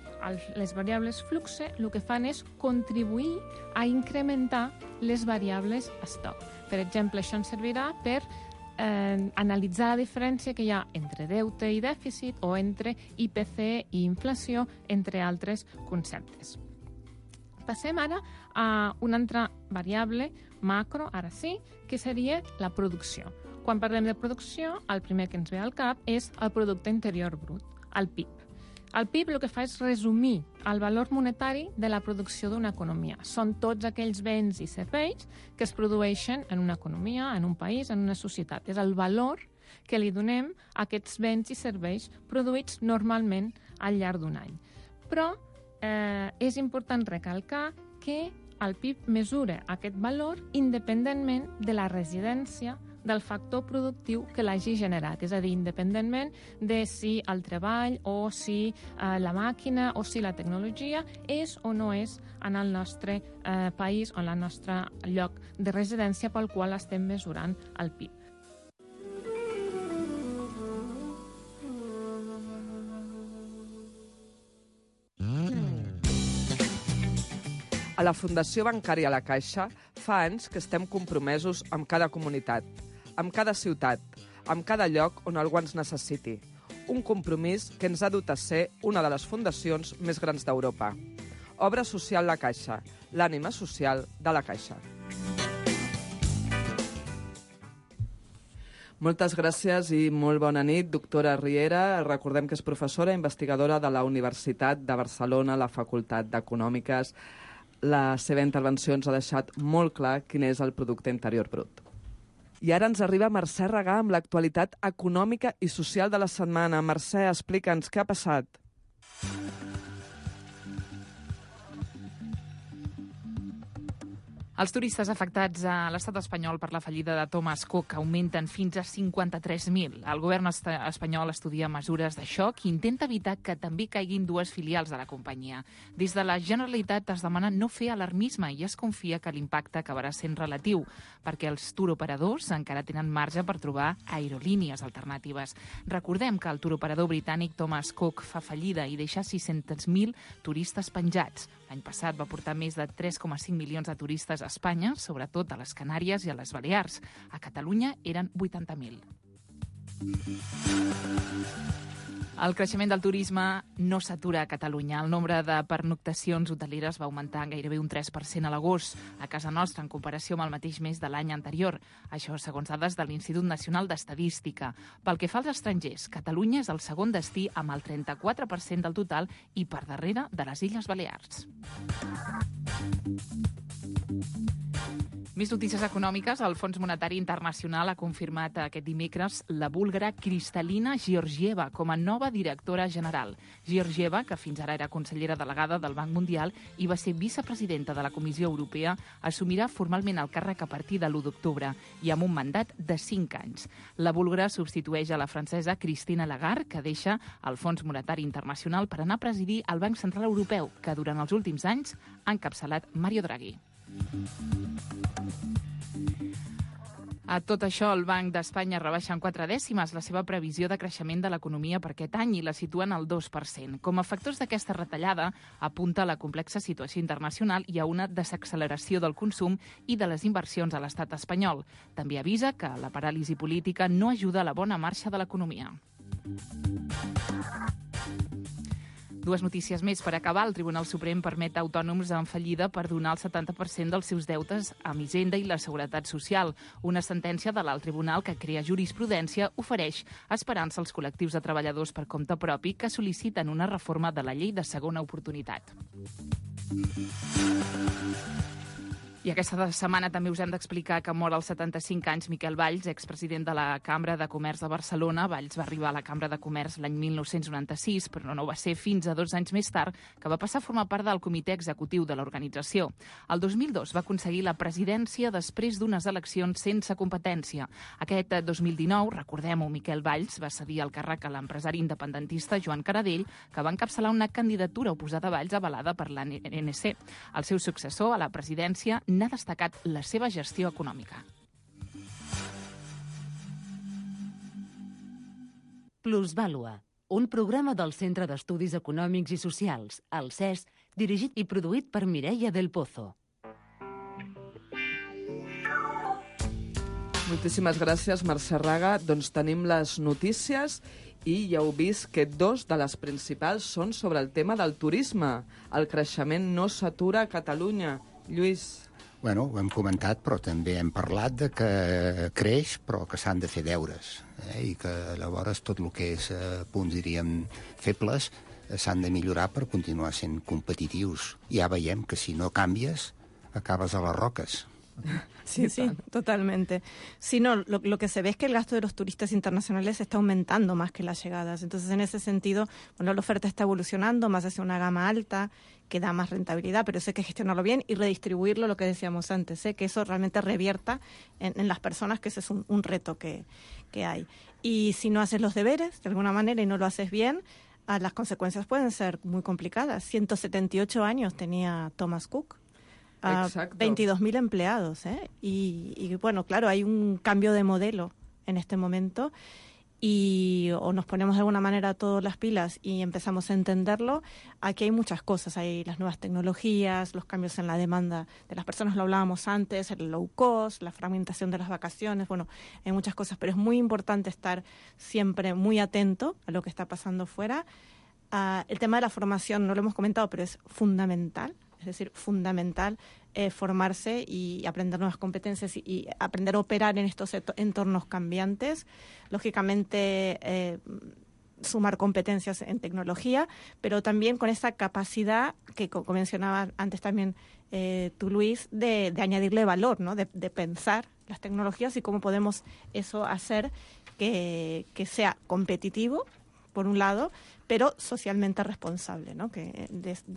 les variables flux el que fan és contribuir a incrementar les variables estoc. Per exemple, això ens servirà per analitzar la diferència que hi ha entre deute i dèficit o entre IPC i inflació, entre altres conceptes. Passem ara a una altra variable macro, ara sí, que seria la producció. Quan parlem de producció, el primer que ens ve al cap és el producte interior brut, el PIB. El PIB el que fa és resumir el valor monetari de la producció d'una economia. Són tots aquells béns i serveis que es produeixen en una economia, en un país, en una societat. És el valor que li donem a aquests béns i serveis produïts normalment al llarg d'un any. Però és important recalcar que el PIB mesura aquest valor independentment de la residència del factor productiu que l'hagi generat, és a dir, independentment de si el treball o si la màquina o si la tecnologia és o no és en el nostre país o en el nostre lloc de residència pel qual estem mesurant el PIB. A la Fundació Bancària La Caixa fa anys que estem compromesos amb cada comunitat, amb cada ciutat, amb cada lloc on algú ens necessiti. Un compromís que ens ha dut a ser una de les fundacions més grans d'Europa. Obra Social La Caixa, l'ànima social de La Caixa. Moltes gràcies i molt bona nit, doctora Riera. Recordem que és professora i investigadora de la Universitat de Barcelona, la Facultat d'Econòmiques. La seva intervenció ens ha deixat molt clar quin és el producte interior brut. I ara ens arriba Mercè Regà amb l'actualitat econòmica i social de la setmana. Mercè, explica'ns què ha passat. Els turistes afectats a l'estat espanyol per la fallida de Thomas Cook augmenten fins a 53.000. El govern espanyol estudia mesures de xoc i intenta evitar que també caiguin dues filials de la companyia. Des de la Generalitat es demana no fer alarmisme i es confia que l'impacte acabarà sent relatiu, perquè els turoperadors encara tenen marge per trobar aerolínies alternatives. Recordem que el turoperador britànic Thomas Cook fa fallida i deixa 600.000 turistes penjats. L'any passat va portar més de 3,5 milions de turistes a Espanya, sobretot a les Canàries i a les Balears. A Catalunya eren 80.000. El creixement del turisme no s'atura a Catalunya. El nombre de pernoctacions hoteleres va augmentar gairebé un 3% a l'agost, a casa nostra, en comparació amb el mateix mes de l'any anterior. Això segons dades de l'Institut Nacional d'Estadística. Pel que fa als estrangers, Catalunya és el segon destí amb el 34% del total i per darrere de les Illes Balears. Més notícies econòmiques. El Fons Monetari Internacional ha confirmat aquest dimecres la búlgara Kristalina Georgieva com a nova directora general. Georgieva, que fins ara era consellera delegada del Banc Mundial i va ser vicepresidenta de la Comissió Europea, assumirà formalment el càrrec a partir de l'1 d'octubre i amb un mandat de 5 anys. La búlgara substitueix a la francesa Christine Lagarde, que deixa el Fons Monetari Internacional per anar a presidir el Banc Central Europeu, que durant els últims anys ha encapçalat Mario Draghi. A tot això, el Banc d'Espanya rebaixa en 4 dècimes la seva previsió de creixement de l'economia per aquest any i la situen al 2%. Com a factors d'aquesta retallada, apunta a la complexa situació internacional i a una desacceleració del consum i de les inversions a l'estat espanyol. També avisa que la paràlisi política no ajuda a la bona marxa de l'economia. Dues notícies més per acabar. El Tribunal Suprem permet a autònoms en fallida per donar el 70% dels seus deutes a Hisenda i la Seguretat Social. Una sentència de l'Alt Tribunal que crea jurisprudència ofereix esperança als col·lectius de treballadors per compte propi que sol·liciten una reforma de la llei de segona oportunitat. I aquesta setmana també us hem d'explicar que mor als 75 anys Miquel Valls, expresident de la Cambra de Comerç de Barcelona. Valls va arribar a la Cambra de Comerç l'any 1996, però no va ser fins a 2 anys més tard que va passar a formar part del comitè executiu de l'organització. El 2002 va aconseguir la presidència després d'unes eleccions sense competència. Aquest 2019, recordem-ho, Miquel Valls va cedir el càrrec a l'empresari independentista Joan Caradell, que va encapçalar una candidatura oposada a Valls avalada per l'ANC. El seu successor a la presidència n'ha destacat la seva gestió econòmica. Plusvàlua, un programa del Centre d'Estudis Econòmics i Socials, el CES, dirigit i produït per Mireia del Pozo. Moltíssimes gràcies, Mercè Regà. Doncs tenim les notícies i ja heu vist que 2 de les principals són sobre el tema del turisme. El creixement no s'atura a Catalunya. Lluís. Bueno, ho hem comentat, però també hem parlat de que creix, però que s'han de fer deures, i que llavors tot el que és punts, diríem, febles, s'han de millorar per continuar sent competitius. Ja veiem que si no canvies, acabes a les roques. Sí, totalmente. Sí, no, lo que se ve es que el gasto de los turistas internacionales está aumentando más que las llegadas. Entonces, en ese sentido, bueno, la oferta está evolucionando más hacia una gama alta que da más rentabilidad, pero eso hay que gestionarlo bien y redistribuirlo, lo que decíamos antes, que eso realmente revierta en las personas, que ese es un reto que hay. Y si no haces los deberes, de alguna manera, y no lo haces bien, las consecuencias pueden ser muy complicadas. 178 años tenía Thomas Cook. 22.000 empleados, y bueno, claro, hay un cambio de modelo en este momento y o nos ponemos de alguna manera todas las pilas y empezamos a entenderlo. Aquí hay muchas cosas, hay las nuevas tecnologías, los cambios en la demanda de las personas, lo hablábamos antes, el low cost, la fragmentación de las vacaciones, bueno, hay muchas cosas, pero es muy importante estar siempre muy atento a lo que está pasando fuera. El tema de la formación, no lo hemos comentado, pero es fundamental. Es decir, fundamental formarse y aprender nuevas competencias y aprender a operar en estos entornos cambiantes. Lógicamente, sumar competencias en tecnología, pero también con esa capacidad que mencionaba antes también tú, Luis, de añadirle valor, ¿no? De pensar las tecnologías y cómo podemos eso hacer que sea competitivo, por un lado, pero socialmente responsable, ¿no? Que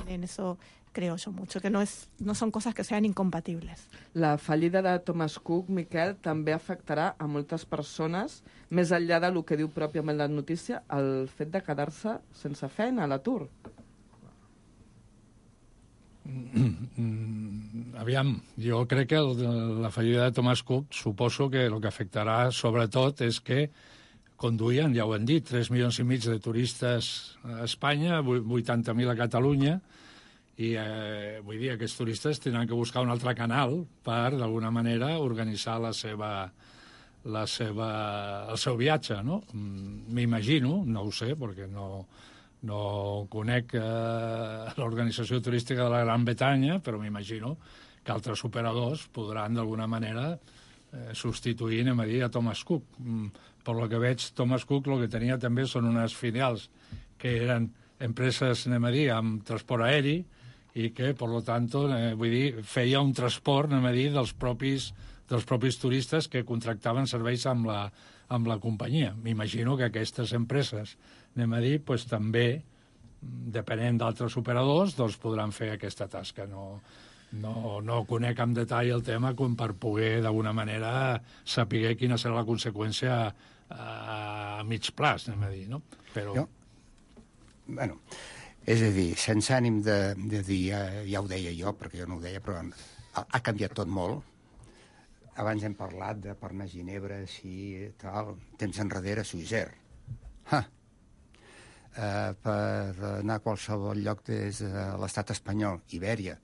en eso creo yo mucho, que no son cosas que sean incompatibles. La fallida de Thomas Cook, Miquel, també afectarà a moltes persones, més enllà del que diu pròpiament la notícia, el fet de quedar-se sense feina, a l'atur. Aviam, jo crec que la fallida de Thomas Cook suposo que el que afectarà sobretot és que conduïen, ja ho hem dit, 3 milions i mig de turistes a Espanya, 80.000 a Catalunya, i vull dir, aquests turistes tindran que buscar un altre canal per, d'alguna manera, organitzar el seu viatge, no? M'imagino, no ho sé, perquè no conec l'organització turística de la Gran Bretanya, però m'imagino que altres operadors podran, d'alguna manera, substituir, anem a dir, a Thomas Cook. Per lo que veig, Thomas Cook el que tenia també són unes filials que eren empreses, anem a dir, amb transport aeri, i que, per lo tanto, vull dir, feia un transport, anem a dir, dels propis turistes que contractaven serveis amb la companyia. M'imagino que aquestes empreses, anem a dir, pues, també, depenent d'altres operadors, doncs podran fer aquesta tasca. No conec amb detall el tema com per poder, d'alguna manera, saber quina serà la conseqüència a mig plaç, anem a dir, no? Però... Bueno, és a dir, sense ànim de dir, ja ho deia jo, perquè jo no ho deia, però ha canviat tot molt. Abans hem parlat de per anar a Ginebra, sí, tal, temps enrere, Suïsser. Per anar a qualsevol lloc des de l'estat espanyol, Ibèria.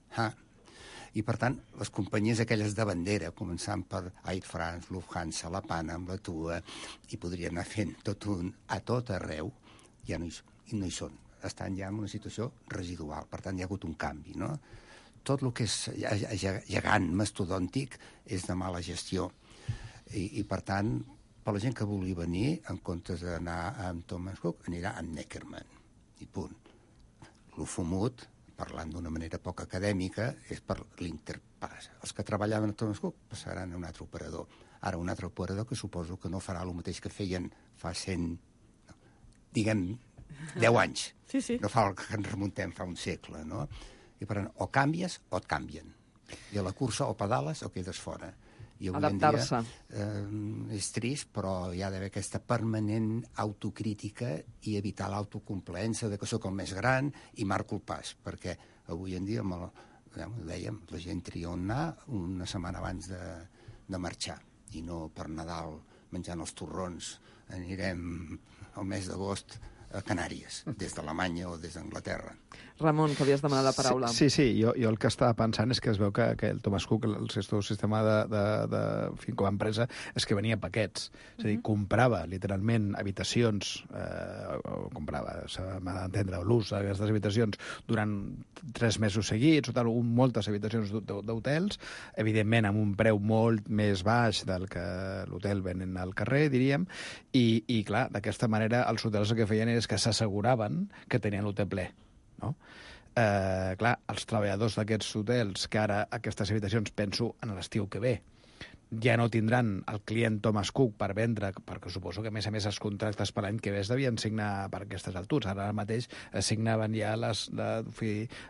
I, per tant, les companyies aquelles de bandera, començant per Air France, Lufthansa, la Panam, la TUA, i podria anar fent a tot arreu, ja no hi són. Estan ja en una situació residual, per tant hi ha hagut un canvi, no? Tot el que és gegant, mastodòntic, és de mala gestió. I per tant, per la gent que vulgui venir, en comptes d'anar amb Thomas Cook, anirà amb Neckermann. I punt. Lo fumut, parlant d'una manera poc acadèmica, és per l'interpass. Els que treballaven a Thomas Cook passaran a un altre operador. Ara, un altre operador que suposo que no farà el mateix que feien fa 100... diguem, 10 anys. Sí. No fa el que ens remuntem fa un segle, no? I per tant, o canvies o et canvien. I a la cursa o pedales o quedes fora. I avui adaptar-se. En dia és trist, però hi ha d'haver aquesta permanent autocrítica i evitar l'autocomplaença de que sóc el més gran i marco el pas, perquè avui en dia, dèiem, la gent tria on anar una setmana abans de marxar, i no per Nadal menjant els torrons anirem al mes d'agost a Canàries, des d'Alemanya o des d'Anglaterra. Ramon, que havies demanat la paraula. Sí, jo el que estava pensant és que es veu que el Thomas Cook, el seu sistema com a empresa, és que venia paquets. És a dir, comprava literalment habitacions, m'ha d'entendre, l'ús d'aquestes habitacions durant 3 mesos seguits, o tal, moltes habitacions d'hotels, evidentment amb un preu molt més baix del que l'hotel venen al carrer, diríem, i clar, d'aquesta manera els hotels el que feien és que s'asseguraven que tenien l'hotel ple, no? Clar, els treballadors d'aquests hotels, que ara aquestes habitacions, penso en l'estiu que ve, ja no tindran el client Thomas Cook per vendre, perquè suposo que, a més, els contractes per l'any que ve es devien signar per aquestes altures. Ara mateix signaven ja les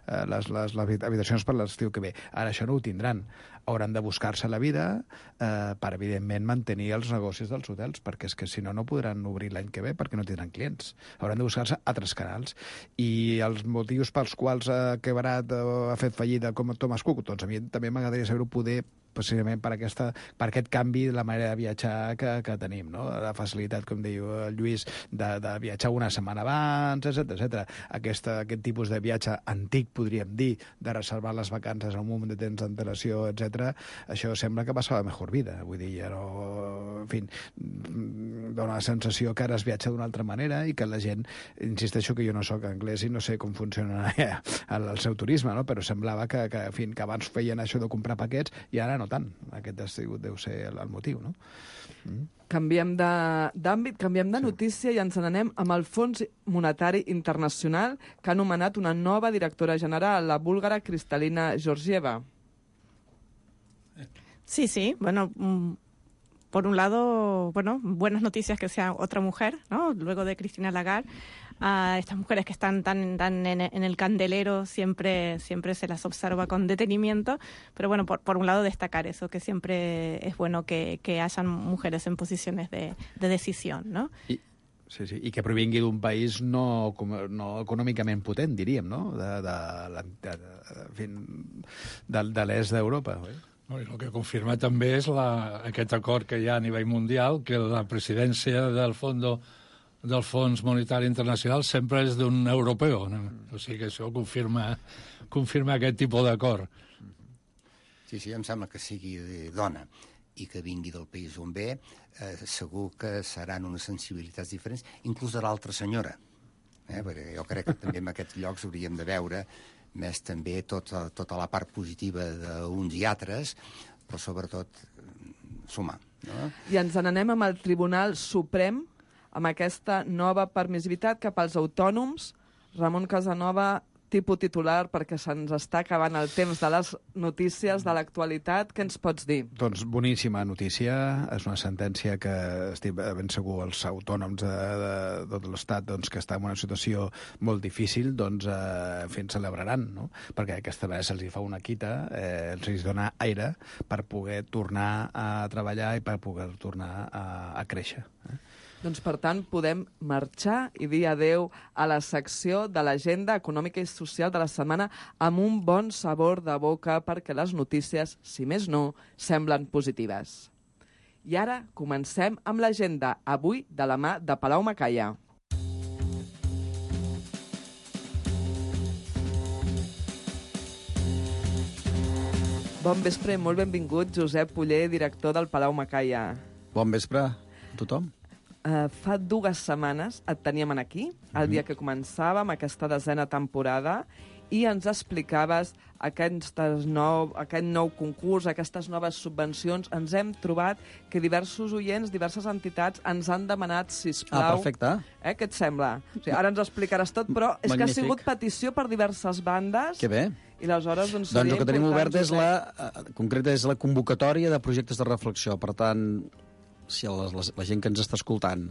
habitacions per l'estiu que ve. Ara això no ho tindran. Hauran de buscar-se la vida per, evidentment, mantenir els negocis dels hotels, perquè és que, si no, no podran obrir l'any que ve perquè no tindran clients. Hauran de buscar-se altres canals. I els motius pels quals ha quebrat o ha fet fallida com Thomas Cook, doncs a mi també m'agradaria saber-ho, poder precisament per aquest canvi de la manera de viatjar que tenim, no? La facilitat, com diu el Lluís, de viatjar una setmana abans, etc. Aquest tipus de viatge antic, podríem dir, de reservar les vacances a un moment de temps d'antelació, etc. Això sembla que passava mejor vida. Vull dir, ja no... En fi, dona la sensació que ara es viatja d'una altra manera i que la gent, insisteixo que jo no sóc anglès i no sé com funciona el seu turisme, no? Però semblava que abans feien això de comprar paquets i ara no tant. Aquest deu ser el motiu, no? Canviem d'àmbit, canviem de notícia i ens n'anem amb el Fons Monetari Internacional, que ha nomenat una nova directora general, la búlgara Kristalina Georgieva. Sí, bueno, por un lado, bueno, buenas noticias que sea otra mujer, ¿no? Luego de Christine Lagarde, estas mujeres que están tan en el candelero siempre se las observa con detenimiento, pero bueno, por un lado destacar eso, que siempre es bueno que hayan mujeres en posiciones de decisión, ¿no? Sí, i que provingui d'un país no econòmicament potent, diríem, no? De l'est d'Europa, oi? El que confirma també és aquest acord que hi ha a nivell mundial, que la presidència del Fons Monetari Internacional sempre és d'un europeu. No? O sigui que això confirma aquest tipus d'acord. Sí, em sembla que sigui dona i que vingui del país on ve, segur que seran unes sensibilitats diferents, inclús de l'altra senyora. Perquè jo crec que també en aquests llocs hauríem de veure més també tota la part positiva d'uns i altres, però sobretot sumar. No? I ens n'anem amb el Tribunal Suprem, amb aquesta nova permissivitat cap als autònoms. Ramon Casanova, tipus titular, perquè se'ns està acabant el temps de les notícies de l'actualitat. Què ens pots dir? Doncs boníssima notícia. És una sentència que estic ben segur els autònoms de tot l'Estat que està en una situació molt difícil, ens celebraran, no? Perquè aquesta vegada se'ls fa una quita, els dona aire per poder tornar a treballar i per poder tornar a créixer. Doncs, per tant, podem marxar i dir adeu a la secció de l'agenda econòmica i social de la setmana amb un bon sabor de boca perquè les notícies, si més no, semblen positives. I ara comencem amb l'agenda, avui de la mà de Palau Macaya. Bon vespre i molt benvingut, Josep Oller, director del Palau Macaya. Bon vespre a tothom. Fa 2 setmanes et teníem aquí, el dia que començàvem aquesta 10a temporada, i ens explicaves aquest nou concurs, aquestes noves subvencions. Ens hem trobat que diversos oients, diverses entitats ens han demanat, sisplau... perfecte. Què et sembla? O sigui, ara ens ho explicaràs tot, però és que ha sigut petició per diverses bandes. Que bé. I aleshores, doncs el que tenim obert és la convocatòria de projectes de reflexió. Per tant, si la gent que ens està escoltant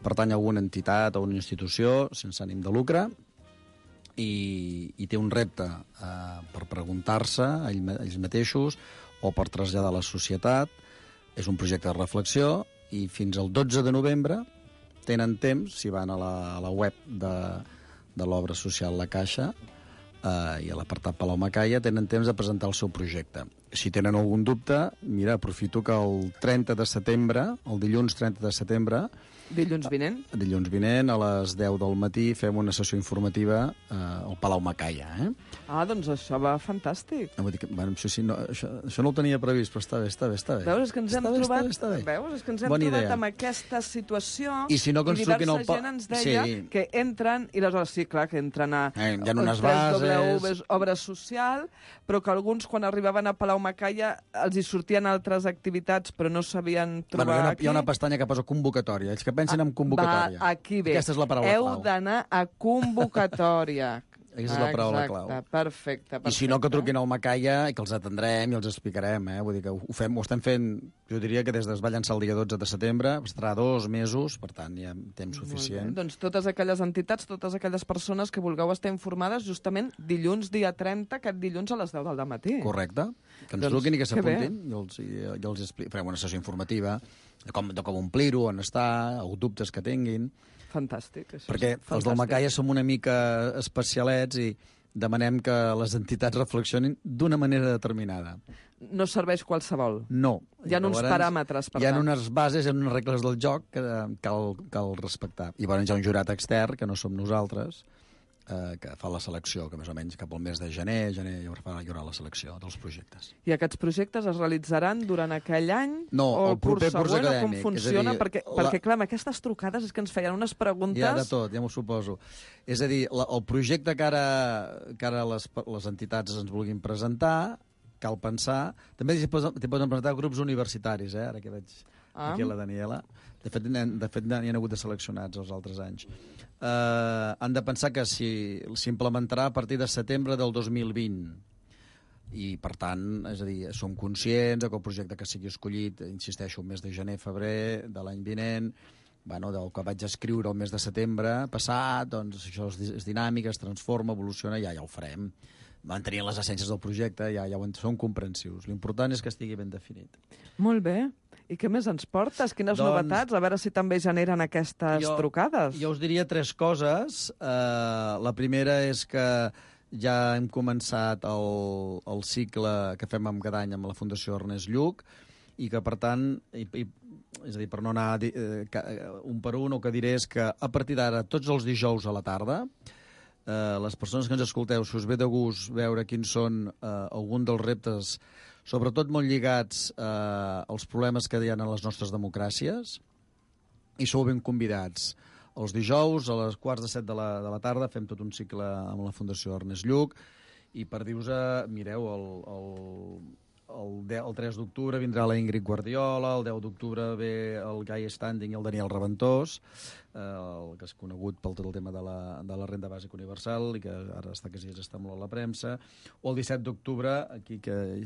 pertany a alguna entitat o una institució sense ànim de lucre i té un repte per preguntar-se a ells mateixos o per traslladar a la societat, és un projecte de reflexió i fins al 12 de novembre tenen temps, si van a la web de l'obra social La Caixa i a l'apartat Palau Macaya, tenen temps de presentar el seu projecte. Si tenen algun dubte, mira, aprofito que el 30 de setembre, el dilluns 30 de setembre... Dilluns vinent? Dilluns vinent, a les 10 del matí, fem una sessió informativa al Palau Macaya. Doncs això va fantàstic. Això no ho tenia previst, però està bé. Veus, és que ens hem trobat amb aquesta situació i diversa gent ens deia que entren, i aleshores sí, clar, que entren a Obra Social, però que alguns, quan arribaven a Palau Macaya, els hi sortien altres activitats, però no sabien trobar aquí. Hi ha una pestanya que posa convocatòria. Ells que pensen en convocatòria. Aquí ve. Aquesta és la paraula clau. Heu d'anar a convocatòria. Aquesta és la paraula clau. Perfecte. I si no, que truquin al Macaya i que els atendrem i els explicarem. Vull dir que ho estem fent, jo diria que des que es va llançar el dia 12 de setembre, estarà 2 mesos, per tant, hi ha temps suficient. Doncs totes aquelles entitats, totes aquelles persones que vulgueu estar informades, justament dilluns, dia 30, aquest dilluns a les 10 del matí. Correcte. Que ens truquin i que s'apuntin i els farem una sessió informativa de com omplir-ho, on està, o dubtes que tinguin. Fantàstic. Perquè els del Macaya som una mica especialets i demanem que les entitats reflexionin d'una manera determinada. No serveix qualsevol? No. Hi ha uns paràmetres, per tant. Hi ha unes bases, hi ha unes regles del joc que cal respectar. I llavors hi ha un jurat extern, que no som nosaltres, que fa la selecció, que més o menys cap al mes de gener hi haurà la selecció dels projectes. I aquests projectes es realitzaran durant aquell any o el proper curs següent, acadèmic. o com funciona? Dir, perquè, clar, amb aquestes trucades és que ens feien unes preguntes... Hi ha de tot, ja m'ho suposo. És a dir, el projecte que ara les entitats ens vulguin presentar, cal pensar... També t'hi poden presentar grups universitaris, ara que veig aquí la Daniela. De fet, n'hi ha hagut de seleccionats els altres anys. Han de pensar que s'implementarà a partir de setembre del 2020. I, per tant, és a dir, som conscients que el projecte que sigui escollit, insisteixo, el mes de gener-febrer de l'any vinent, del que vaig escriure el mes de setembre passat, doncs això és dinàmic, es transforma, evoluciona, ja ho farem. Mantenint les essències del projecte, ja som comprensius. L'important és que estigui ben definit. Molt bé. I què més ens portes? Quines novetats? A veure si també generen aquestes trucades. Jo us diria 3 coses. La primera és que ja hem començat el cicle que fem cada any amb la Fundació Ernest Lluch i que, per tant, és a dir, per no anar un per un, el que diré és que a partir d'ara, tots els dijous a la tarda, les persones que ens escolteu, si us ve de gust veure quins són alguns dels reptes, sobretot molt lligats als problemes que hi ha en les nostres democràcies, i sou ben convidats. Els dijous, a les 6:45 de la tarda, fem tot un cicle amb la Fundació Ernest Lluch, i per dir-vos, mireu, el 3 d'octubre vindrà la Ingrid Guardiola, el 10 d'octubre ve el Guy Standing i el Daniel Reventós, el que és conegut pel tot el tema de la renda bàsica universal i que ara està molt a la premsa, o el 17 d'octubre, aquí que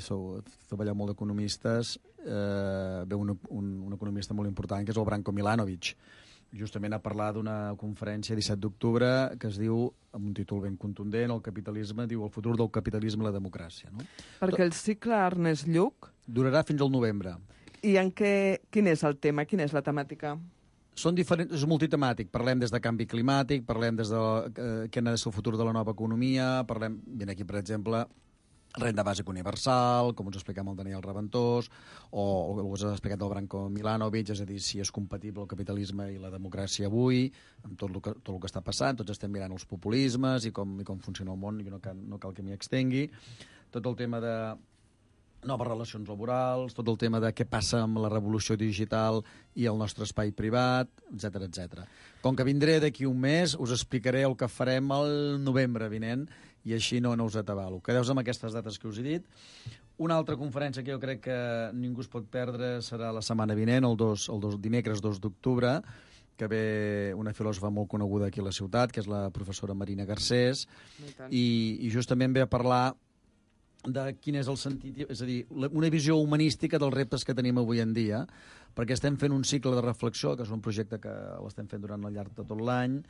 treballeu molt d'economistes, ve un economista molt important, que és el Branko Milanovic, justament a parlar d'una conferència 17 d'octubre que es diu, amb un títol ben contundent, el capitalisme, diu el futur del capitalisme i la democràcia. No? Perquè el cicle Ernest Lluch durarà fins al novembre. I quin és el tema? Quina és la temàtica? Són diferents, és multitemàtic. Parlem des de canvi climàtic, parlem des de què ha de ser el futur de la nova economia, viene aquí, per exemple, renda bàsica universal, com us expliquem el Daniel Reventós, o us ha explicat el Branko Milanovic, és a dir, si és compatible el capitalisme i la democràcia avui, amb tot el que està passant, tots estem mirant els populismes i com funciona el món, i no cal que m'hi extengui. Tot el tema de noves relacions laborals, tot el tema de què passa amb la revolució digital i el nostre espai privat, etc etc. Com que vindré d'aquí un mes, us explicaré el que farem el novembre vinent, i així no us atabalo. Quedeu amb aquestes dates que us he dit. Una altra conferència que jo crec que ningú es pot perdre serà la setmana vinent, el dimecres 2 d'octubre, que ve una filòsofa molt coneguda aquí a la ciutat, que és la professora Marina Garcés, i justament ve a parlar de quin és el sentit, és a dir, una visió humanística dels reptes que tenim avui en dia, perquè estem fent un cicle de reflexió, que és un projecte que l'estem fent durant el llarg de tot l'any,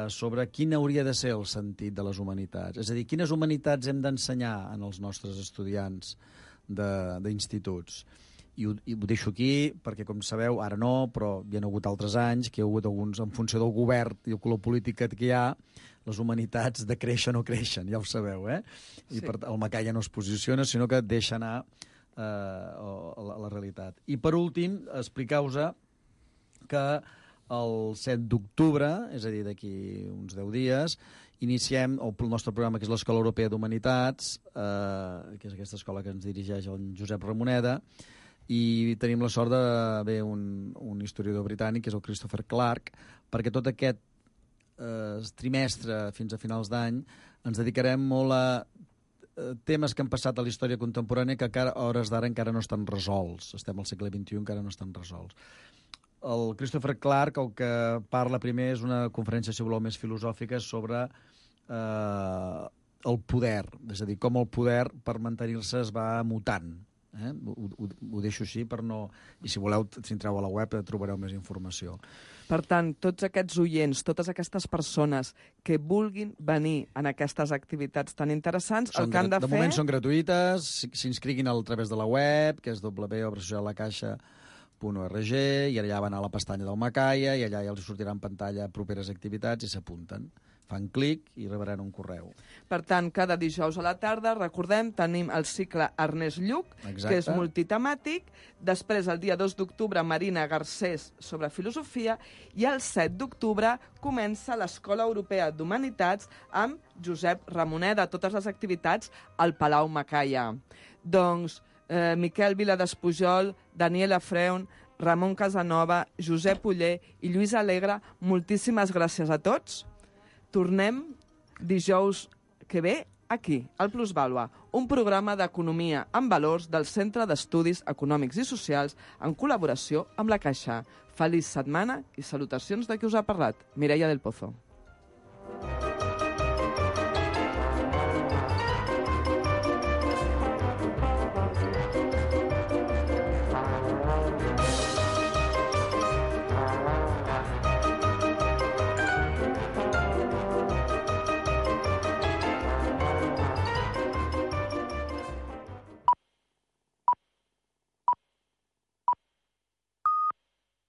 sobre quin hauria de ser el sentit de les humanitats. És a dir, quines humanitats hem d'ensenyar en els nostres estudiants d'instituts. I ho deixo aquí perquè, com sabeu, ara no, però hi ha hagut altres anys que hi ha hagut alguns, en funció del govern i el color polític que hi ha, les humanitats decreixen o creixen, ja ho sabeu, I el Macaya no es posiciona, sinó que deixa anar la realitat. I per últim, explicar-vos que el 7 d'octubre, és a dir, d'aquí uns 10 dies, iniciem el nostre programa, que és l'Escola Europea d'Humanitats, que és aquesta escola que ens dirigeix el Josep Ramoneda, i tenim la sort de haver un historiador britànic, que és el Christopher Clark, perquè tot aquest trimestre, fins a finals d'any, ens dedicarem molt a temes que han passat a la història contemporània que a hores d'ara encara no estan resolts. Estem al segle XXI, encara no estan resolts. El Christopher Clark el que parla primer és una conferència, si voleu, més filosòfica sobre el poder, és a dir, com el poder per mantenir-se es va mutant. Ho deixo així per no... I si voleu, si entreu a la web trobareu més informació. Per tant, tots aquests oients, totes aquestes persones que vulguin venir en aquestes activitats tan interessants, el que han de fer... De moment són gratuïtes, s'inscriguin a través de la web, que és www.obrasociallacaixa.org, i allà van a la pestanya del Macaya i allà ja els sortirà en pantalla properes activitats i s'apunten. fan clic i rebran un correu. Per tant, cada dijous a la tarda, recordem, tenim el cicle Ernest Lluch, que és multitemàtic. Després, el dia 2 d'octubre, Marina Garcés sobre filosofia. I el 7 d'octubre comença l'Escola Europea d'Humanitats amb Josep Ramoneda, totes les activitats al Palau Macaya. Doncs, Miquel Viladespujol, Daniela Freun, Ramon Casanova, Josep Uller i Lluís Alegre, moltíssimes gràcies a tots. Tornem dijous que ve aquí, al Plusvàlua, un programa d'economia amb valors del Centre d'Estudis Econòmics i Socials en col·laboració amb la Caixa. Feliç setmana i salutacions de qui us ha parlat, Mireia del Pozo.